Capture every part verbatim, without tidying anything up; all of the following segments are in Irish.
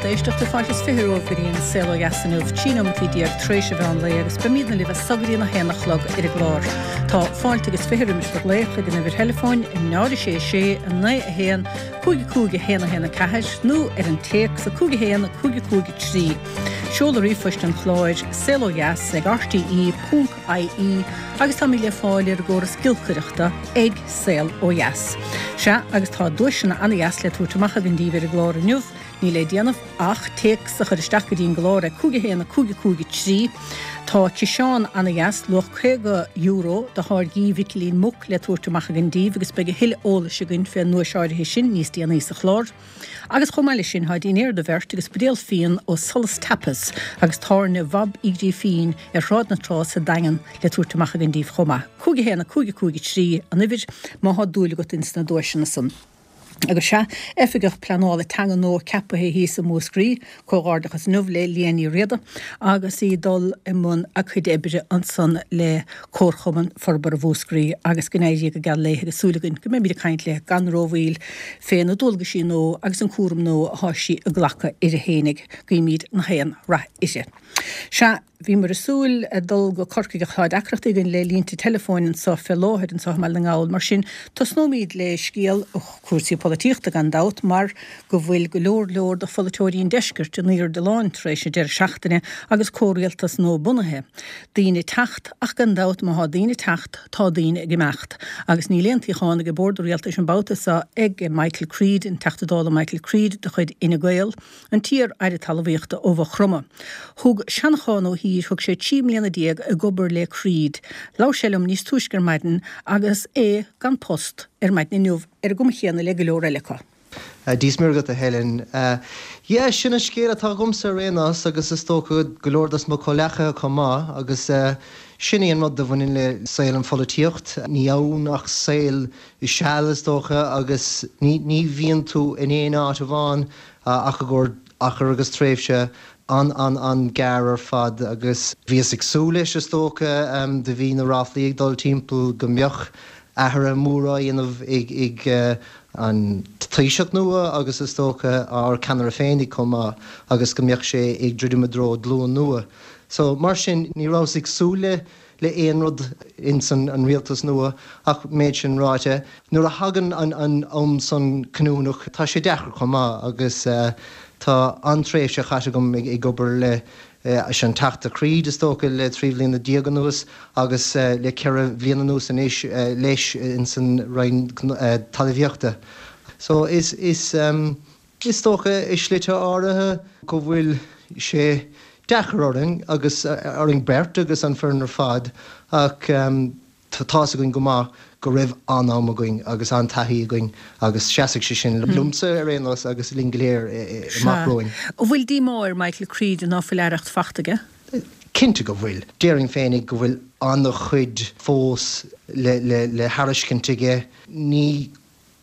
lucht éisteachta fáilte is fiche romhaibh go dtí an Saol Ó Dheas inniu, trí nóimeataí déag tar éis an mheán lae agus beimidne libh as so go dtí a haon a chlog ar an gclár. Tá fáilte agus fiche roimis bhur nglaoch ag an uimhir theileafóin náid sé sé naoi a haon cúig cúig a haon a haon a ceathair nó ar an téacs a cúig a haon cúig cúig trí. Seoladh ríomhphoist an chláir saol ó dheas ag RTE ponc IE agus táimid le fáil ar an gcóras giolcaireachta ag Saol Ó Dheas. Sea agus tá duaiseanna an-deas le tabhairt amach againn daoibh ar an gclár inniu, níl le déanamh ach téacs a chur isteach go dtí an gclár ag cúig a haon a cúig cúig trí. Tá ciseán an-deas luach caoga euro de tháirgí Mhicilín Muc le tabhairt amach againn daoibh agus beidh a thuilleadh eolais againn fén nduais áirithe sin níos déanaí sa chlár. Agus chomh maith leis sin tá dinnéar do bheirt agus buidéal fíon ó Solas Tapas agus tábhairne Bhob Uí Ghrífín ar Shráid na Trá sa Daingean le tabhairt amach againn daoibh chomh maith. Cúig a haon a cúig cúig trí an uimhir má thá dúil agat ins na duaiseanna san. Agus sea, oifigeach pleanála teanga nua ceaptha thíos i Múscraí, comhghairdeachas inniu le Liadh Ní Riada agus í dul i mbun a cuid oibre ansan le Comharchumann Forbartha Mhúscraí agus go n-éirí go geal léi agus súil againn go mbeimid ag caint léi gan rómhoill fé na dualgaisí nua agus an cúram nua atá sí ag glacadh uirthi fhéinig, guímid na haon rath uirthi. Sea, bhíomar ag súil dul go Corcaigh ach tá deacrachtaí againn le línte teileafóin anseo fé láthair anseo i mBaile na nGall. Mar sin, tosnóimid le scéal cúrsaí polaitíochta gan dabht mar go bhfuil go leor leor de pholaiteoirí an deiscirt in airde láin tar éis an deireadh seachtaine agus comhrialtas nua bunaithe. Daoine ag teacht ach gan dabht má thá daoine ag teacht tá daoine ag imeacht. Agus níl aon tsuíochán ag bord an rialtais an babhta seo ag Michael Creed, an Teachta Dála Michael Creed de chuid Fhine Gael, an t-iar-aire talmhaíochta ó Mhaigh Chromtha. Thug Seanchán Ó hÍr thug sé trí mbliana déag ag obair le Creed. Labhair sé liom níos túisce ar maidin agus é gan post ar maidin inniu ar an gcuma chéanna le go leor eile acu. Dia is Muire agat a Helen. Yeah, sin an scéal atá agamsa ar aon nós agus is dócha go leor dos mo chomhghleacaithe chomh maith agus sin é an rud a bhaineann le saol an pholaitíocht. Ní ann ach saol seal is dócha agus ní ní bhíonn tú in aon áit amháin ach i gcomhair achar agus tréimhse an an an-ghearr ar fad agus bhíos ag súil leis is dócha do bhí na ráflaí ag dul timpeall go mbeadh athruithe móra á dhéanamh ag ag an Taoiseach nua agus is dócha ár ceannaire féinig chomh maith agus go mbeadh sé ag druidim i dtreo glúin nua. So mar sin ní rabhas ag súil le le aon rud ins an, an rialtas nua ach méid sin ráite. Nuair a thagann an, an am san cinniúnach tá sé deacair chomh maith agus uh, tá an-tréimhse caite agam ag, ag obair le uh, an Teachta Creed is dócha le trí bliana déag anuas agus uh, le ceithre bliana anuas anois uh, leis in san Roinn uh, talmhaíochta. So is is um, is dócha i slite áirithe go bhfuil sé deacair orainn agus orainn beirt agus an foireann ar fad ach um, tá againn go maith go raibh an-am againn agus an-taithí againn agus seasfaidh sé sin liomsa ar aon nós agus linn go léir amach romhainn. An bhfuil díomá ar Michael Creed ná fuil aireacht faighte aige? Cinnte go bhfuil. Déarfainn féinig go bhfuil an-chuid fós le, le, le tairiscint aige. Ní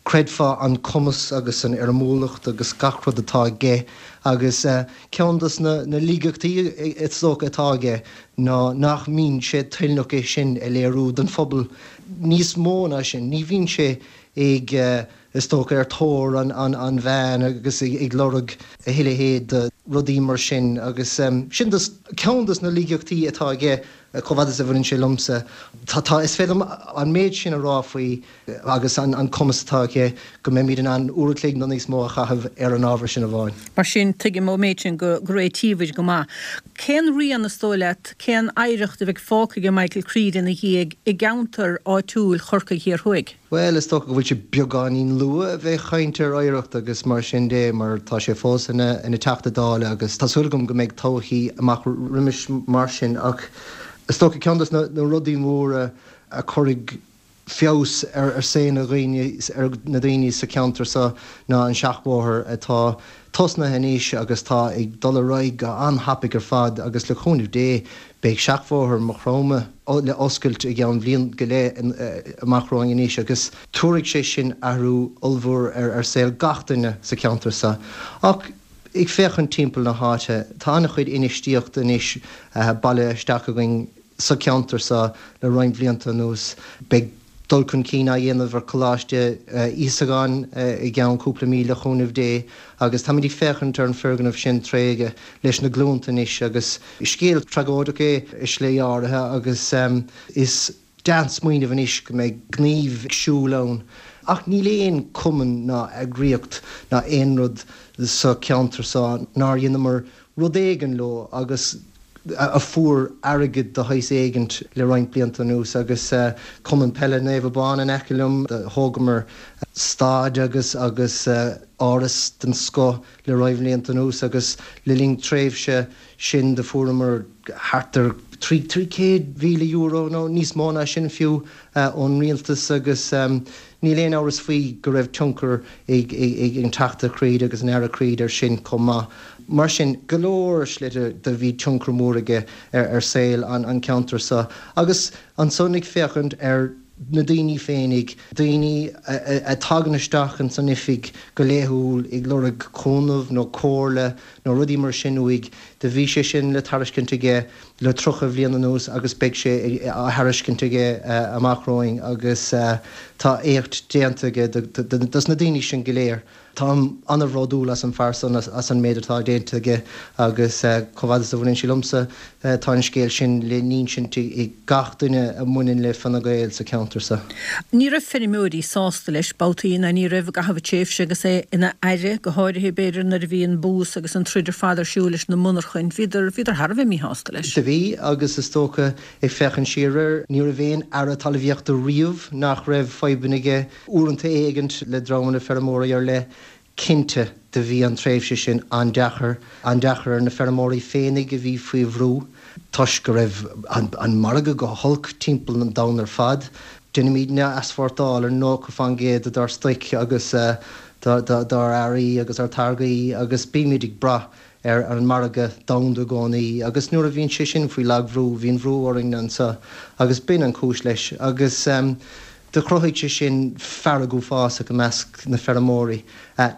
chreidfeá an cumas agus an fhoirmiúlacht agus gach rud atá aige agus uh, ceann des na, na laigeachtaí is dócha atá aige ná nach mbíonn sé toilteanach é sin a léiriú don phobal níos mó ná sin, ní bhíonn sé ag uh, is dócha ar thóir an, an, an mheáin agus ag, ag lorg a thuilleadh rudaí mar sin agus um, sin dus, ceann des na laigeachtaí atá aige chomh fada is a bhaineann sé liomsa. Tá tá is féidir an méid sin a rá faoi agus an, an cumas atá aige go mbeimid in ann uair an chloig nó níos mó a chaitheamh ar an ábhar sin amháin. Mar sin tuigim ón méid sin go go réitímid go maith. Cén rian is dóigh leat cén oidhreacht a bheidh fágtha ag Michael Creed ina dhiaidh i gceantar áitiúil Chorcaí Thiar Thuaidh. Well is dócha go bhfuil sé beagáinín luath a bheith ag caint ar oidhreacht agus mar sin de mar tá sé fós ina ina Teachta Dála agus tá súil agam go mbeidh todhchaí amach roimis mar sin ach is dócha ceann des na, na rudaí móra a chuirfidh feabhas ar ar saol na dhaoine ar na daoine sa cheantar seo ná an seachbhóthar atá tosnaithe anois agus tá ag dul ar aghaidh go an-tapaidh ar fad agus le cúnamh Dé beidh seachbhóthar Mhaigh Chromtha le oscailt i gceann bliain go leith amach romhainn anois agus tabharfaidh sé sin athrú ollmhór ar ar saol gach duine sa cheantar seo. Ach ag féachaint timpeall na háite tá an-chuid infheistíocht anois uh, bailithe isteach againn sa cheantar seo le roinnt blianta anuas beidh dul chun cinn á dhéanamh ar Choláiste Íosagáin i gceann cúpla mí le cúnamh Dé agus táimid ag féachaint ar an foirgneamh sin tréigthe leis na glúnta anois agus scéal tragóideach é i slí áirithe agus is deas smaoineamh anois go mbeidh gníomh ag siúl ann. Ach níl aon cumann ná eagraíocht ná aon rud sa cheantar seo nár dheineamar rud éigin leo agus a fuair airgead de shaghas éigint le roinnt blianta anuas agus Cumann Peile Naomh Abán in aice liom, thógamar staid agus agus áras den scoth le roinnt blianta anuas agus le linn tréimhse sin do fuaireamar thart ar trí trí chéad mhíle euro nó níos mó ná sin fiú ón rialtas agus níl aon amhras faoi go raibh tionchar ag ag an Teachta Creed agus an Aire Creed ar sin chomh maith. Mar sin, go leor slite do bhí tionchar mór aige ar ar saol an an ceantar seo agus ansan ag féachaint ar na daoine féinig, daoine a tagann isteach ins an oifig go laethúil ag lorg cúnamh nó comhairle nó rudaí mar sin uaidh, do bhí sé sin le tairiscint aige le tríocha bhliain anuas agus beidh sé á thairiscint aige amach romhainn agus tá éacht déanta aige dos na daoine sin go léir. Táim an-bhródúil as an fear san, as an méid atá déanta aige agus chomh fada is a bhaineann sé liomsa, tá an scéal sin le n-insint ag gach duine a mbaineann le Fine Gael sa cheantar seo. Ní raibh feirmeoirí sásta leis babhtaí ná ní raibh i gcaitheamh a tréimhse agus é ina aire, go háirithe b'fhéidir nuair a bhí an bús agus an troid ar fad ar siúl leis na monarchain. Bhíodar, bhíodar thar a bheith míshásta leis. Do bhí agus is dócha ag féachaint siar air, ní raibh aon aire talmhaíochta riamh nach raibh fadhbanna aige uaireanta éigint le dreamanna feirmeoirí ar leith. Cinnte do bhí an tréimhse sin an-deacair, an-deacair ar na feirmeoirí féinig a bhí faoi bhrú toisc go raibh an margadh go holc timpeall an domhain ar fad. Déanaimidne easpórtáil ar nócha faoin gcéad dár stoic agus dár earraí agus ár táirgí agus bímid ag brath ar an margadh domhanda i gcónaí agus nuair a bhíonn sé sin faoi lagbhrú, bhíonn brú orainn anseo agus b'in an chúis leis agus do chruthaigh sé sin fearg uafásach i measc na feirmeoirí.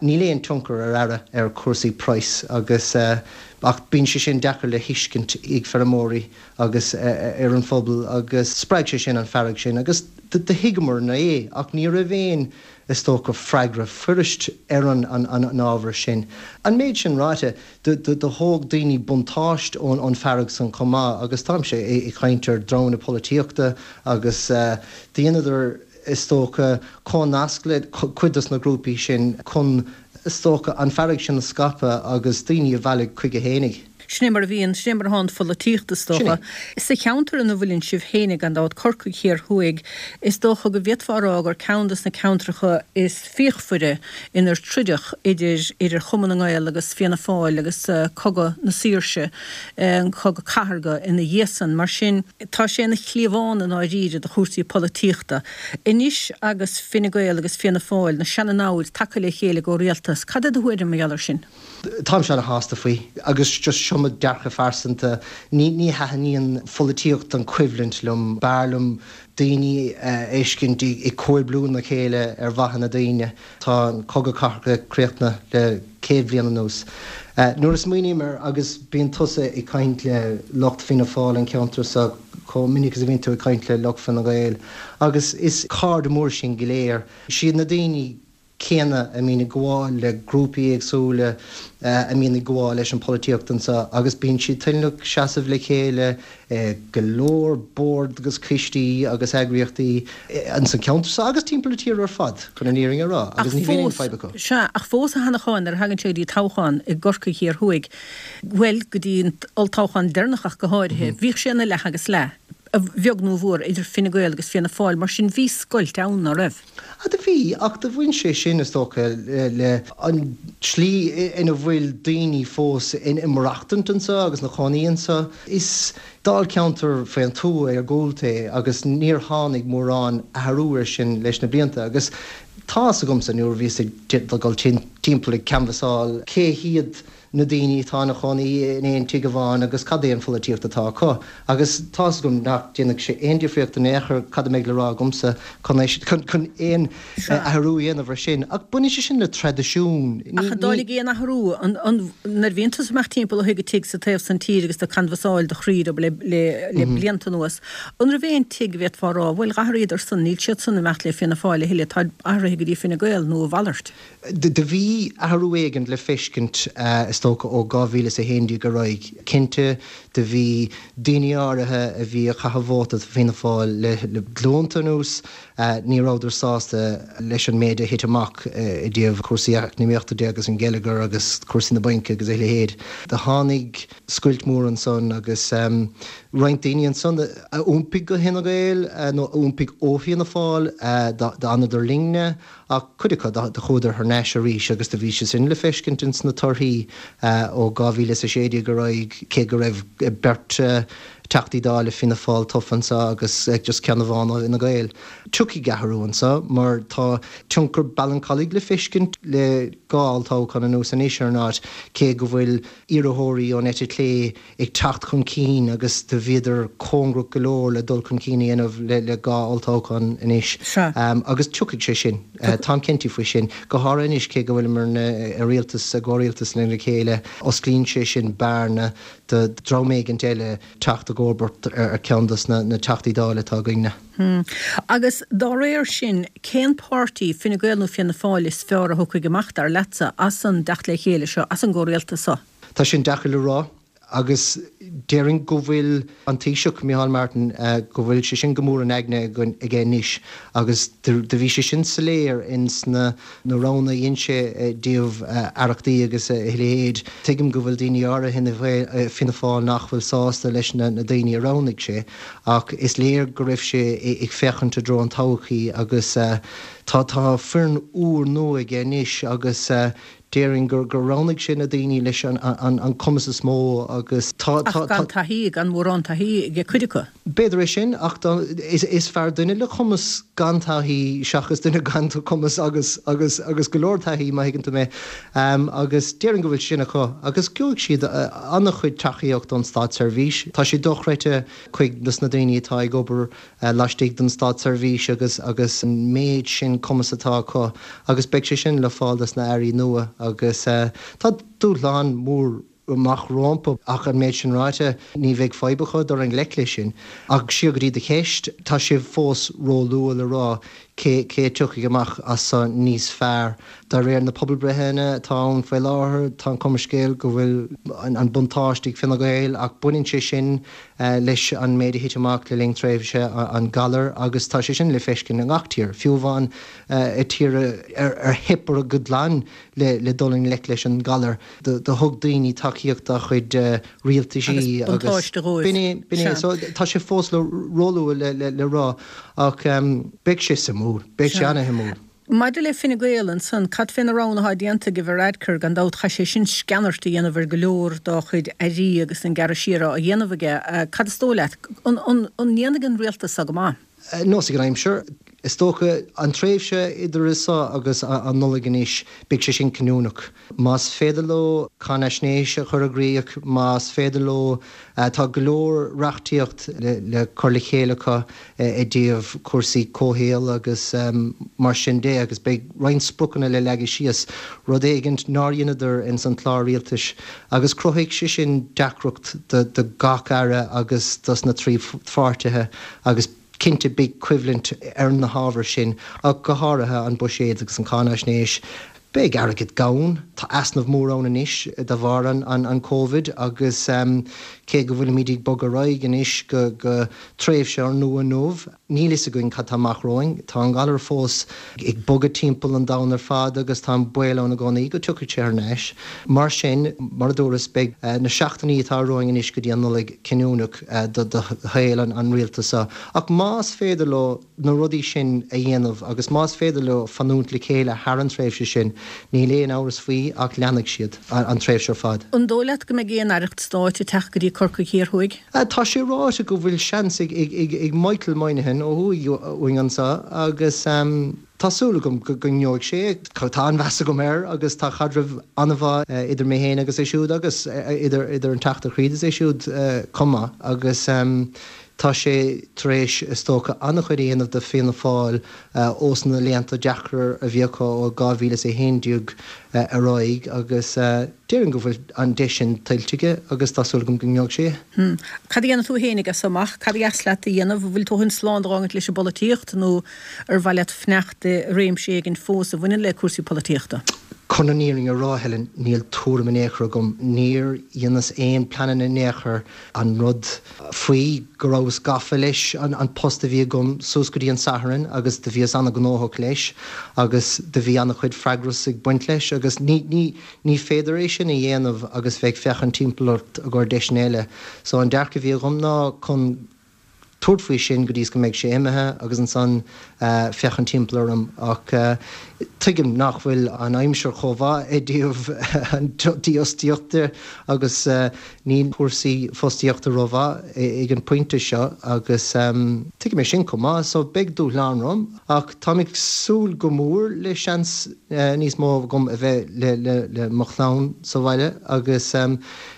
Níl aon tionchar ar aire ar chúrsaí praghais agus ach bíonn sé sin deacair le thuiscint ag feirmeoirí agus ar an phobal agus spreag sé sin an fearg sin agus do thuigeamarna é ach ní raibh aon is dócha freagra fuirist ar an an ábhar sin. An méid sin ráite, do thóg daoine buntáiste ón an fearg san chomh maith agus táimse ag caint ar dhreamanna polaitíochta agus dheineadar is dócha comhnasc le cuid dos na grúpaí sin chun is dócha an fearg sin a scaipeadh agus daoine a mhealladh chuige fhéinig. Sin é mar a bhíonn, sin é mar atá an pholaitíocht, is dócha. Sa cheantar ina bhfuileann sibh féinig, gan dabht, Corcaigh Thiar Thuaidh, is dócha go bhféadfá a rá gur ceann de na ceantracha is fíochmhaire inar troideadh idir idir Chumann na nGael agus Fianna Fáil agus Cogadh na Saoirse, an Cogadh Cathartha ina dhiaidh san. Mar sin, tá sé ina chliabhán i ndáiríre do chúrsaí polaitíochta. Anois agus Fine Gael agus Fianna Fáil, na seana-namhaid, tagtha le chéile i gcomhrialtas, cad é do thuairim mar gheall air sin? Táimse ana-shásta faoi agus just seo mo dhearcadh phearsanta. Ní ní thaitníonn pholaitíocht an choimhlint liom. B'fhearr liom daoine a fheiscint ag comhoibriú lena chéile ar mhaithe na daoine. Tá an Cogadh Cathartha críochnaithe le céad bhliain anuas. Nuair a smaoiním air agus bíonn tusa ag caint le lucht Fianna Fáil an ceantar seo chomh minic is a bhíonn tú ag caint le lucht Fine Gael agus is cairde mór sinn go léir. Siad na daoine céanna a mbíonn ag gabháil le grúpaí éagsúla a mbíonn ag gabháil leis an pholaitíocht anseo agus bíonn siad toilteanach seasamh le chéile i go leor bord agus coistí agus eagraíochtaí ins an cheantar seo agus timpeall na tíre ar fad, chun an fhírinne a rá, agus ní bhíonn aon fadhb acu. Sea, ach fós a Sheanacháin, nuair a thagann sé go dtí toghchán i gCorcaigh Thiar Thuaidh, bhuel, go dtí an olltoghchán deireanach ach go háirithe, bhíodh sé ina leath agus leath. a bheag nó a mhór, idir Fine Gael agus Fianna Fáil, mar sin bhí scoilt ann, ná raibh? Ah, do bhí, ach do bhain sé sin, is dócha, le an tslí ina bhfuil daoine fós ina maireachtaint anseo agus ina chónaí anseo. Is dáilcheantar faoin tuath iargúlta é agus níor tháinig mórán athrú air sin leis na blianta agus tá's agamsa nuair a bhíos ag dul timpeall ag canbhasáil cé hiad na daoine atá ina chónaí in aon tigh amháin agus cad é an pholaitíocht atá acu. Agus tá's agam nach déanfaidh sé aon difríocht in aon chor cad a mbeidh le rá agamsa chun chun aon athrú a dhéanamh ar sin. Ach baineann sé sin le traidisiún. Ach an dtáinig aon athrú nuair a bhíonn tusa amach timpeall ó thigh go tigh sa taobh san tír agus do canbhasáil do chroí le le blianta anuas. An raibh aon tigh a bhféadfá a rá, bhuel d'athraíodar san, níl siad san ag imeacht le Fianna Fáil a thuilleadh, tá athraithe go dtí Fine Gael nó a mhalairt. Do bhí athrú éigin le feiscint is dócha ó dhá mhíle is a haon déag ar aghaidh. Cinnte do bhí daoine áirithe a bhí ag caitheamh vóta do Fianna Fáil le glúnta anuas, ní rabhadar sásta leis an méid a thit amach i dtaobh cúrsaí eacnamaíochta de agus an geilleagar agus cúrsaí na bainc agus a leithéid. Do tháinig scoilt mór ansan agus roinnt daoine ansan a iompaigh go hFine Gael nó a iompaigh ó Fianna Fáil d'fhanadar linne ach cuid acu do chuadar thar n-ais arís agus do bhí sé sin le feiscint ins na torthaí ó dhá mhíle is a sé déag ar aghaidh cé go raibh beirt Teachtaí Dála Fianna Fáil tofa anso agus just ceann amháin ó Fhine Gael. Tiocfaidh athrú anso mar tá tionchar Ballincollig le feiscint le dhá olltoghchán anuas anois ar an áit cé go bhfuil iarrthóirí ón eite chlé ag teacht chun cinn agus do bhíodar cóngarach go leor le dul chun cinn a dhéanamh le dhá olltoghchán anois. Agus tiocfaidh sé sin. Táim cinnte faoi sin. Go háirithe anois cé go bhfuilimid i rialtas, i gcomhrialtas lena chéile, osclaíonn sé sin bearna do dhream éigint eile teacht i gcomharbacht ar cheann dos na Teachtaí Dála atá againne. Agus dá réir sin, cén páirtí, Fine Gael nó Fianna Fáil, is fearr a thiocfaidh amach, dar leatsa, as an dteacht le chéile seo, as an gcomhrialtas seo? Tá sin deacair le rá. Agus déarfainn go bhfuil an Taoiseach, Micheál Martin, go bhfuil sé sin go mór in aigne aige anois agus do bhí sé sin soiléir ins na roghanna a dhein sé i dtaobh aireachtaí agus a leithéid. Tuigim go bhfuil daoine áirithe i Fianna Fáil nach bhfuil sásta leis na daoine a roghnaigh sé ach is léir go raibh sé ag féachaint i dtreo an todhchaí agus tá tá foireann úr nua aige anois agus Déarfainn gur roghnaigh sé na daoine leis an cumas is mó agus tá. Ach gan taithí, gan mórán taithí ag cuid acu. B'fhéidir é sin, ach is fearr duine le cumas gan taithí seachas duine gan cumas agus agus agus go leor taithí, má thuigeann tú mé. Agus déarfainn go bhfuil sin acu. Agus gheobhaidh siad an-chuid tacaíocht ón státseirbhís. Tá sé dochreidte cuid dos na daoine atá ag obair laistigh den státseirbhís agus agus an méid sin cumas atá acu agus beidh sé sin le fáil dos na airí nua agus tá dúshlán mór amach rompu ach an méid sin ráite ní bheidh fadhb acu dul i ngleic leis sin. Ach siar go dtí do cheist, tá sé fós ró-luath le rá cé cé a tiocfaidh amach as so níos fearr. De réir na pobalbreitheanna atá ann faoi láthair, tá an chuma ar an scéal go bhfuil an buntáiste ag Fine Gael ach baineann sé sin leis an méid a thit amach le linn tréimhse an ghalair agus tá sé sin le feiscint i ngach tír, fiú amháin i tíortha ar theip orthu go glan le dul i ngleic leis an ngalar. Do thug daoine tacaíocht dá chuid rialtaisí agus b'in é, b'in é. So tá sé fós róluath le rá ach beidh sé suimiúil, beidh sé ana-shuimiúil. Maidir le Fine Gael ansan, cad fé na roghanna atá déanta ag Varadkar? Gan dabht chaith sé sin sceanairt a dhéanamh ar go leor dá chuid airí agus an gearradh siar á dhéanamh aige. Cad is dóigh leat? An ndéanfaidh an rialtas so go maith? Nós ag an aimsir. Is dócha, an tréimhse idir seo agus an Nollaig anois, beidh sé sin cinniúnach. Más féidir leo cáinaisnéis a chur i gcrích, más féidir leo, tá go leor reachtaíocht le cur le chéile acu i dtaobh cúrsaí comhshaoil agus mar sin de agus beidh roinnt spriocanna le leagadh síos, rud éigint nár dheineadar ins an chlár rialtais agus cruthóidh sé sin deacracht do gach aire agus dos na trí pháirtithe agus Cinnte, beidh coimhlint ar na hábhair sin, ach go háirithe an buiséad agus an cháinaisnéis. Beidh airgead gann. Tá easnamh mór ann anois de bharr an Covid agus cé go bhfuilimid ag bogadh ar aghaidh anois go tréimhse úrnua inniu, níl fhios againn cad tá amach romhainn. Tá an galar fós ag bogadh timpeall an domhain ar fad agus tá an baol ann i gcónaí go dtiocfaidh sé thar n-ais. Mar sin, mar a dúras, beidh na seachtainí atá romhainn anois go dtí an Nollaig cinniúnach do shaol an rialtais seo. Ach más féidir leo na rudaí sin a dhéanamh agus más féidir leo fanúint le chéile thar an tréimhse sin, níl aon amhras faoi ach leanfaidh siad an tréimhse ar fad. An dóigh leat go mbeidh aon aireacht stáit ag teacht go dtí Corcaigh Thiar Thuaidh? Tá sé ráite go bhfuil seans ag Michael Moynihan ó thuaidh uainn anseo agus tá Tá súil agam go ngeobhaidh sé é. Tá an-mheas agam air agus tá caidreamh an-mhaith idir mé féin agus é siúd agus idir idir an Teachta Creed is é siúd chomh maith agus tá sé tar éis is dócha an-chuid a dhéanamh do Fianna Fáil ós na laethanta deacra a bhí acu ó dhá mhíle is a haon déag ar aghaidh agus déarfainn go bhfuil an deis sin tuillte aige agus tá súil agam go ngeobhaidh sé é. Cad a dhéanfaidh tú fhéinig as seo amach? Cad a dheas leat a dhéanamh? An bhfuil tú chun slán d'fhágaint leis an bpolaitíocht nó ar mhaith leat fanacht i réimse éigin fós a bhaineann le cúrsaí polaitíochta? Chun an fhírinne a rá, Helen, níl tuairim in aon chor agam. Níor dheineas aon pleananna in aon chor. An rud faoi go rabhas gafa leis an post a bhí agam suas go dtí an Satharn agus do bhíos an-ghnóthach leis agus do bhí an-chuid freagras ag baint leis agus ní, ní, ní féidir é sin a dhéanamh agus bheith ag féachaint timpeall ort i gcomhair deiseanna eile. So an dearcadh a bhí agam ná chun tabhairt faoi sin go dtí is go mbeidh sé imithe agus ansan féachaint timpeall orm ach tuigim nach bhfuil an aimsir chomh mhaith i dtaobh an dífhostaíocht de agus níl cúrsaí fostaíochta rómhaith ag an bpointe seo agus tuigim é sin chomh maith so beidh dúshlán romham ach táim ag súil go mór le seans níos mó agam a bheith le mo chlann sa bhaile agus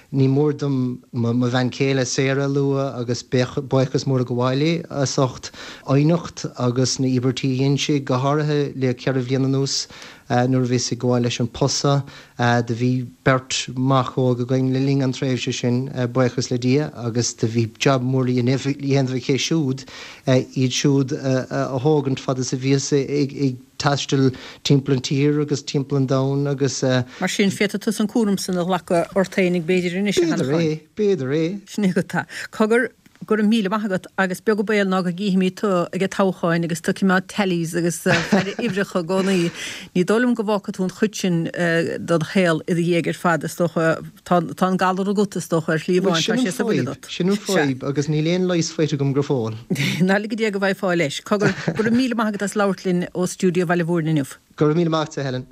Ní mór dom mo bhean chéile Sarah a lua agus buíochas mór a ghabháil léi as ucht fhoighneacht agus na íobairtí a dhein sí, go háirithe le ceithre bhliain anuas nuair a bhíos ag gabháil leis an post seo. Do bhí beirt mhac óg againn le linn an tréimhse sin, buíochas le Dia, agus do bhí jab mór le dhéanamh aici siúd, iad siúd a thógaint fad is a bhíos ag taisteal timpeall an tír agus timpeall an domhain agus. Mar sin, féadfaidh tusa an cúram san a ghlacadh ort féinig b'fhéidir anois, a Sheanacháin. B'fhéidir é, b'fhéidir é. Sin é agat tá. Cogar, go raibh míle maith agat agus beag an baol ná go gcífimid tú ag an toghcháin agus tú ag coimeád tallies agus faire uimhreacha i gcónaí. Ní dóigh liom go bhfágfaidh tú an chuid sin den shaol i do dhiaidh ar fad, is dócha. Tá an galar agat, is dócha, ar shlí amháin, tá sé sa bhfuil agat. Sin an fadhb, agus níl aon leigheas faighte agam go fóill. Ná lige Dé go bhfaighfeá leis. Cogar, go raibh míle maith agat as labhairt linn ó stiúideo Bhaile Mhúirne inniu. Go raibh míle maith agat, a Helen.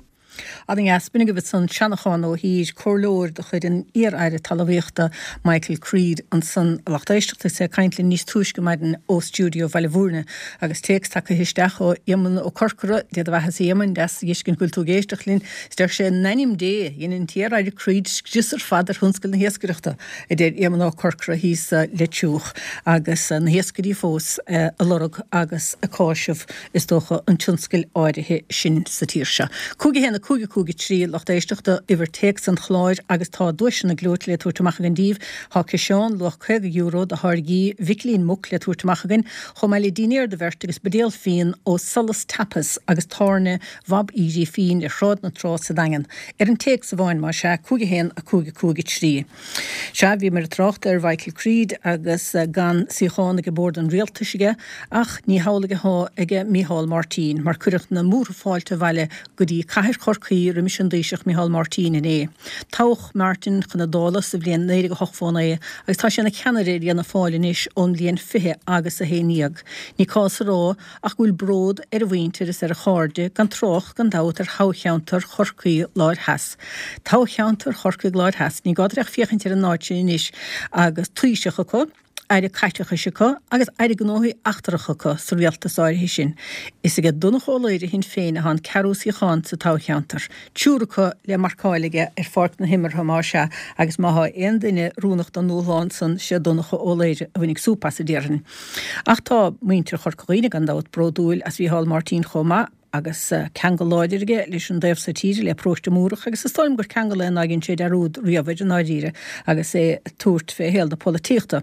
Ana-dheas, b'in agaibh ansan Seanachán Ó hÍr, comhairleoir de chuid an iar-Aire Talmhaíochta Michael Creed ansan, a lucht éisteachta is é ag caint linn níos túisce maidin ó stiúideo Bhaile Mhúirne. Agus téacs tagtha isteach ó Éamonn Ó Corcora, Dé do bheatha-sa a Éamoinn, deas a dh'fheiscint go bhfuil tú ag éisteacht linn. Is deir sé, In ainm Dé, dhein an t-iar-Aire Creed scrios ar fad ar thionscal na hiascaireachta, a deir Éamonn Ó Corcora thíos sa Leitriúch, agus na hiascairí fós ag lorg agus ag cáiseamh, is dócha, an tionscail áirithe sin sa tír seo. Cúig a haon, a cúig, a cúig a trí, lucht éisteachta, uimhir téacs an chláir agus tá duaiseanna gleoite le tabhairt amach againn daoibh. Tá ciseán luach caoga euro de tháirgí Mhicilín Muc le tabhairt amach againn, chomh maith le dinnéar do bheirt agus buidéal fíon ó Solas Tapas agus Tábhairne Bhab Uí Ghrífín ar Shráid na Trá sa Daingean. Ar an téacs amháin, más ea, cúig a haon, a cúig, a cúig a trí. Sea, bhíomar ag trácht ar Mhichael Creed agus gan suíochán ag bord an rialtais aige, ach ní hamhlaidh atá aige Micheál Martin, mar cuireadh na múrtha fáilte abhaile go dtí cathair Chorcaí roimis an dTaoiseach Micheál Martin inné. Toghadh Martin chun na Dála sa bhliain naoi déag a hocht fó naoi agus tá sé ina cheannaire ar Fhianna Fáil anois ón mbliain fiche agus a haon dhéag. Ní cás a rá ach go bhfuil bród ar a mhuintir is ar a chairde, gan trácht gan dabht ar thoghcheantar Chorcaí Láir Theas. Toghcheantar Chorcaí Láir Theas, ní gá duit ach féachaint ar an áit sin anois agus Taoiseach acu, Aire Caiteachais acu agus Aire Gnóthaí Eachtracha acu sa rialtas áirithe sin. Is aige Donncha Ó Laoghaire Shinn Féin atá an ceathrú suíochán sa toghcheantar. Triúr acu le marcáil aige ar pháirc na himeartha más ea agus má thá aon duine oiriúnach don ndúshlán san sé Donncha Ó Laoghaire a bhainfidh súp as a déarfainn. Ach tá muintir Chorca Dhuibhne gan dabht bródúil as Mhícheál Martin chomh maith agus ceangal láidir aige leis an dtaobh so tíre, le Paróiste Múrach, agus is dóigh liom gur ceangal é nár dhein sé dearúd riamh air i ndáiríre agus é ag tabhairt fé shaol na polaitíochta.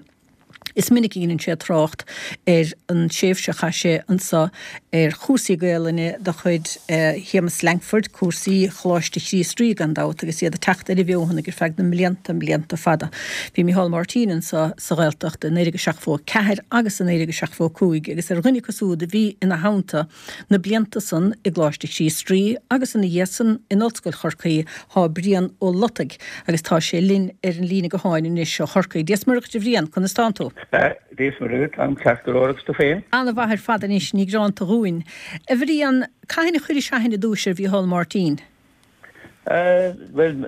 Is minic a dheineann sé trácht ar an tréimhse a chaith sé anso ar chúrsaí Gaelainne de chuid Shéamus Lankford, cúrsaí Choláiste Chríost Rí gan dabht, agus iad ag teacht ar a bhfeothan ar feadh na mblianta, mblianta fada. Bhí Micheál Martin anso sa Ghaeltacht i naoi déag seachtó a ceathair agus i naoi déag seachtó a cúig agus ar dhuine acu súd a bhí ina theannta na blianta san i gColáiste Chríost Rí agus ina dhiaidh san in Ollscoil Chorcaí thá Brian Ó Lotaigh agus tá sé linn ar an líne gutháin anois ó Chorcaigh. Dia 's Muire dhuit a Bhriain, conas tánn tú? Dia 's Muire dhuit, táim ceart go leor agus tú féin? Ana-mhaith ar fad anois, ní gearánta dhúinn. A Bhriain, cathain a chuiris aithne i dtúis ar Mhícheál Máirtín? Bhuel,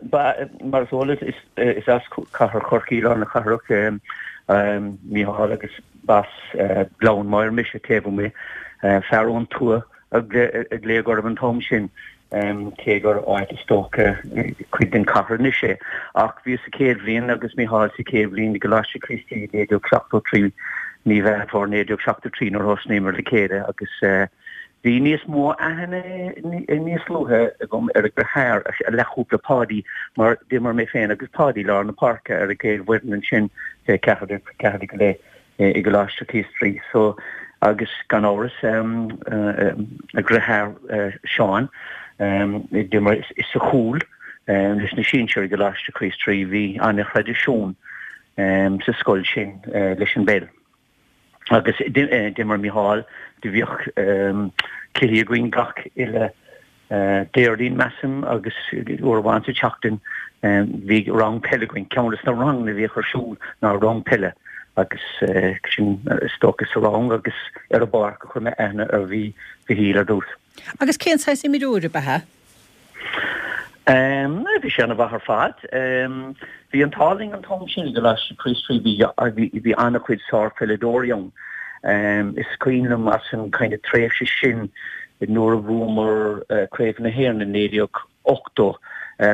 mar is eol duit, is as cathair Chorcaí, lár na cathrach, Mícheál agus b'as Gleann Maghair mise, taobh amuigh, fear ón tuath ag glaoch orthu an t-am sin, cé gur áit is dócha cuid den chathair anois é. Ach bhíos sa chéad bhliain agus Mícheál sa chéad bhliain i gColáiste Chríost Rí naoi déag seachtó trí, mí Mheán Fómhair naoi déag seachtó trí nuair a thosnaíomar le chéile agus bhí níos mó aithne níos luaithe agam ar a dheartháir, a leathchúpla Páidí, mar d'imir mé féin agus Páidí lár na páirce ar an gcéad bhfoireann ansin fé ceathair ceathair go leith. i gColáiste Chríost Rí so agus gan amhras a dheartháir Seán d'imir sa chúl leis na sinsir i gColáiste Chríost Rí bhí an-thraidisiún sa scoil sin leis an bpeil agus d'imir Mícheál do bhíodh cluichí againn gach uile Déardaoin, measaim, agus uair amháin sa tseachtain bhí rang peile againn. Ceann de na ranganna a bhíodh ar siúl ná rang peile agus sin is dócha sa rang agus ar an bpáirc a chuir mé aithne ar Mhícheál ar dtús. Agus cén saghas imreoir ab ea? Bhí sé ana-mhaith ar fad. Bhí an t-ádh linn an t-am sin i gColáiste Chríost Rí, bhí an-chuid sárpheileadóirí ann. Is cuimhin liom as an kind of tréimhse sin nuair a bhuamar Craobh na hÉireann i naoi déag ochtó,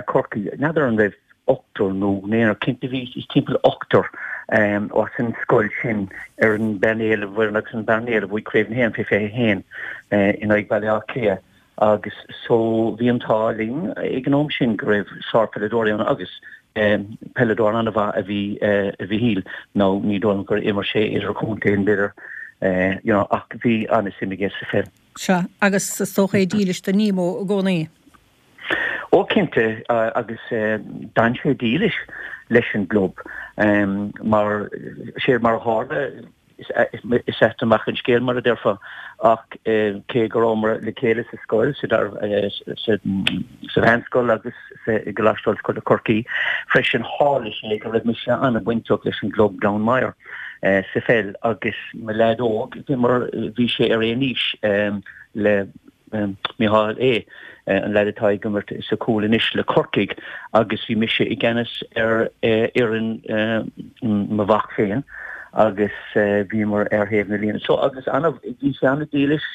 Corcaigh, n'fheadar an raibh ochtar nó naonúr, cinnte bhí timpeall ochtar as an scoil sin ar an bpainéal a bhfoireann agus an bpainéal a bhuaigh Craobh na hÉireann fé fiche a haon in aghaidh Baile Átha Cliath agus so bhí an t-ádh linn ag an am sin go raibh sárpheileadóirí ann agus peileadóir an-mhaith a bhí i Mhícheál nó ní dóigh liom gur imir sé idirchontae b'fhéidir you know ach bhí an-suim aige sa pheil. Sea, agus is dócha é dílis do Nemo i gcónaí. Ó cinnte, agus d'fhan sé dílis leis an gclub mar sé mar a tharla is ait amach an scéal mar a déarfá ach cé go rabhamar le chéile sa scoil, sa mheánscoil agus i gColáiste Ollscoile Chorcaí freisin tharla sé go raibh mise an-bhainteach leis an gclub Gleann Maghair sa pheil agus mo leaid óg d'imir bhí sé ar aon aois le Micheál é an leaid atá ag imirt sa chúl anois le Corcaigh agus bhí mise i gceannas ar fhoireann mo mhac féin agus bhíomar ar thaobh na líne. So agus ana bhí sé ana-dhílis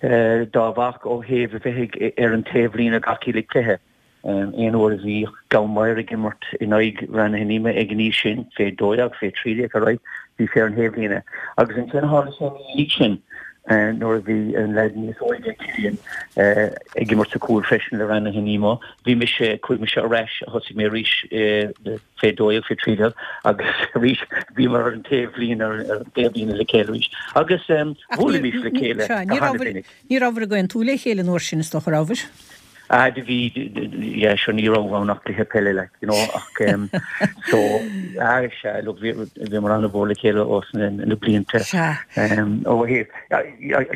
dá mhac ó thaobh a bheith ar an taobhlíne gach uile cluiche. Aon uair a bhí Gleann Maghair ag imirt in aghaidh Rann na hInime ag an aois sin, fé dó dhéag, fé trí déag ar aghaidh, bhí sé ar an thaobhlíne. Agus ansin tharla sé ina dhiaidh sin nuair a bhí an leaid níos óige, Cillian, ag imirt sa chúl freisin le Rann na hInime, bhí mise, chuaigh mise ar ais, thosaigh mé arís fé dó dhéag, fé trí déag agus arís bhíomar ar an taobhlíne, ar an taobhlíne le chéile arís. Agus bhuailimis le chéile go han-mhinic. Ní rabhabhair ag aontú le chéile an uair sin is dócha, rabhabhair? Ah do bhí, yeah sure ní raibh ann ach cluiche peile like you know ach um, so ah sea look bhí bhíomar an-mhór le chéile ós na, na blianta. Sea. Um, ó thaobh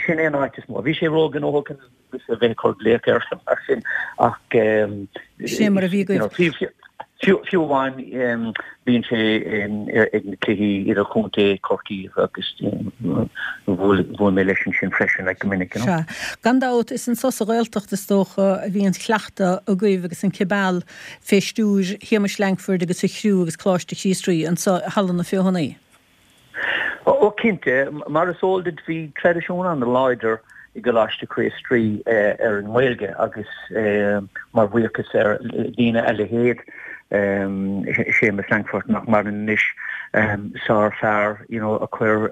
sin é an áit is mó. Bhí sé róghnóthach agus a bheith ag cur glaoch air mar sin ach um, Sin mar a bhí you know, agaibh. Fiú fiú amháin bíonn sé ag na cluichí idirchontae Chorcaí agus bhuail bhuail mé leis ansin freisin like go minic you know. Sea. Gan dabht is anso sa Ghaeltacht is dócha a bhí an cleachtadh agaibh agus an cibeal fé stiúir Shéamais Lankford agus a chriú agus Coláiste Chríost Rí anso i Halla na Feothanaí. Ó cinnte, mar is eol duit bhí traidisiún an-láidir i gColáiste Chríost Rí ar an nGaeilge agus mar bhuíochas ar daoine a leithéid Séamus Lankford nach maireann anois, sárfhear you know a chuir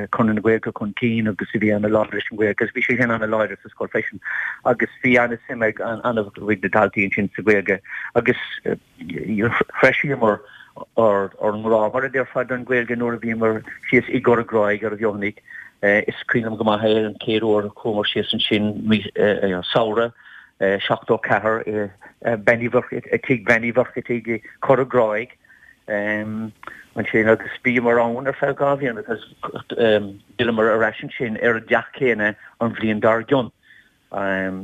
Conradh na Gaeilge chun cinn agus a bhí an-láidir leis an Ghaeilge agus bhí sé féin an-láidir sa scoil freisin agus bhí an-suim ag an-chuid de dhaltaí ansin sa Ghaeilge agus threisíomar ár ngrá, mar a déarfá, don Ghaeilge nuair a bhíomar síos i gCora Gráig ar an bhFeothanaigh. Is cuimhin liom go maith é an chéad uair a chuamar síos ansin, samhradh seachtó ceathair, Bean Uí Mhuircheartaigh, tigh Bhean Uí Mhuircheartaigh i gCora Gráig ansin agus bhíomar ann ar feadh dhá bhliain agus d'fhilleamar ar ais ansin ar an dteach céanna an bhliain dár gcionn.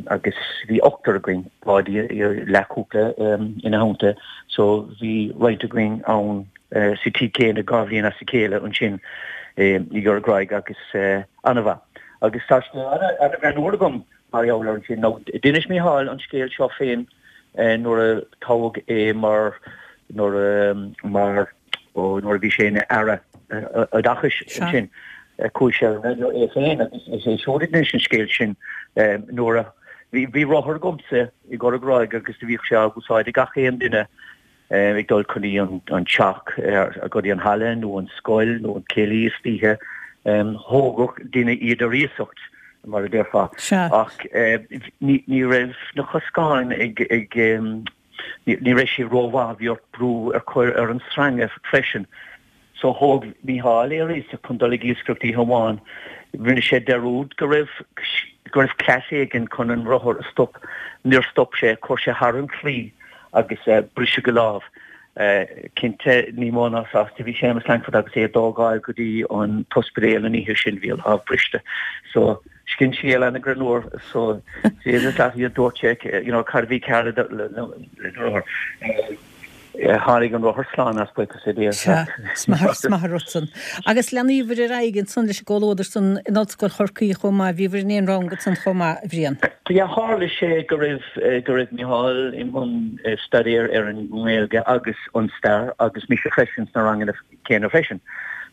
Agus bhí ochtar againn, Páidí leathchúpla ina theannta, so bhí roinnt againn ann sa tigh céanna dhá bhliain as a chéile ansin i gCora Gráig agus an-mhaith. Agus tá scéal an-ghreannmhar agam mar gheall air ansin. Nó d'inis Mícheál an scéal seo féin nuair a toghadh é mar nuair a mar ó nuair a bhí sé ina Aire Oideachais ansin. Chuaigh sé ar an raidió é féin agus is é siúd a d'inis an scéal sin nuair a bhí rothar agamsa i gCora Gráig agus do bhíodh sé á úsáid ag gach aon duine ag dul chun dtí an teach, go dtí an halla nó an scoil nó an céilí istoíche. Thógadh duine iad ar iasacht, mar a déarfá. Ach ní raibh na coscáin ag, ní raibh siad rómhaith, bhí ort brú ar chur ar an sreanga freisin. So thóg Mícheál é ar iasacht chun dul ag iascaireacht oíche amháin. Rinne sé dearúd go raibh go raibh cleas éigin chun an rothar a stop. Níor stop sé, chuir sé thar an chlaí agus briseadh a lámh. Cinnte, ní mó ná sásta a bhí Séamus Lankford agus é á dtógáil go dtí an t-ospidéal an oíche sin, bhí a lámh briste. So sin scéal an-ghreannmhar. So Séamus Lankford dúirt sé, you know, cad a bhí cearr le le rothar. Tháinig an rothar slán as, buíochas le Dia. Sea, is maith an rud san. Agus leanaíobhair ar aghaidh ansan leis an gcomhluadar san in Ollscoil Chorcaí chomh maith, bhíobhair in aon rang ansan chomh maith, a Bhriain. Yeah, tharla sé go raibh go raibh Micheál i mbun staidéir ar an nGaeilge agus an stair agus mise freisin sna ranganna céanna freisin.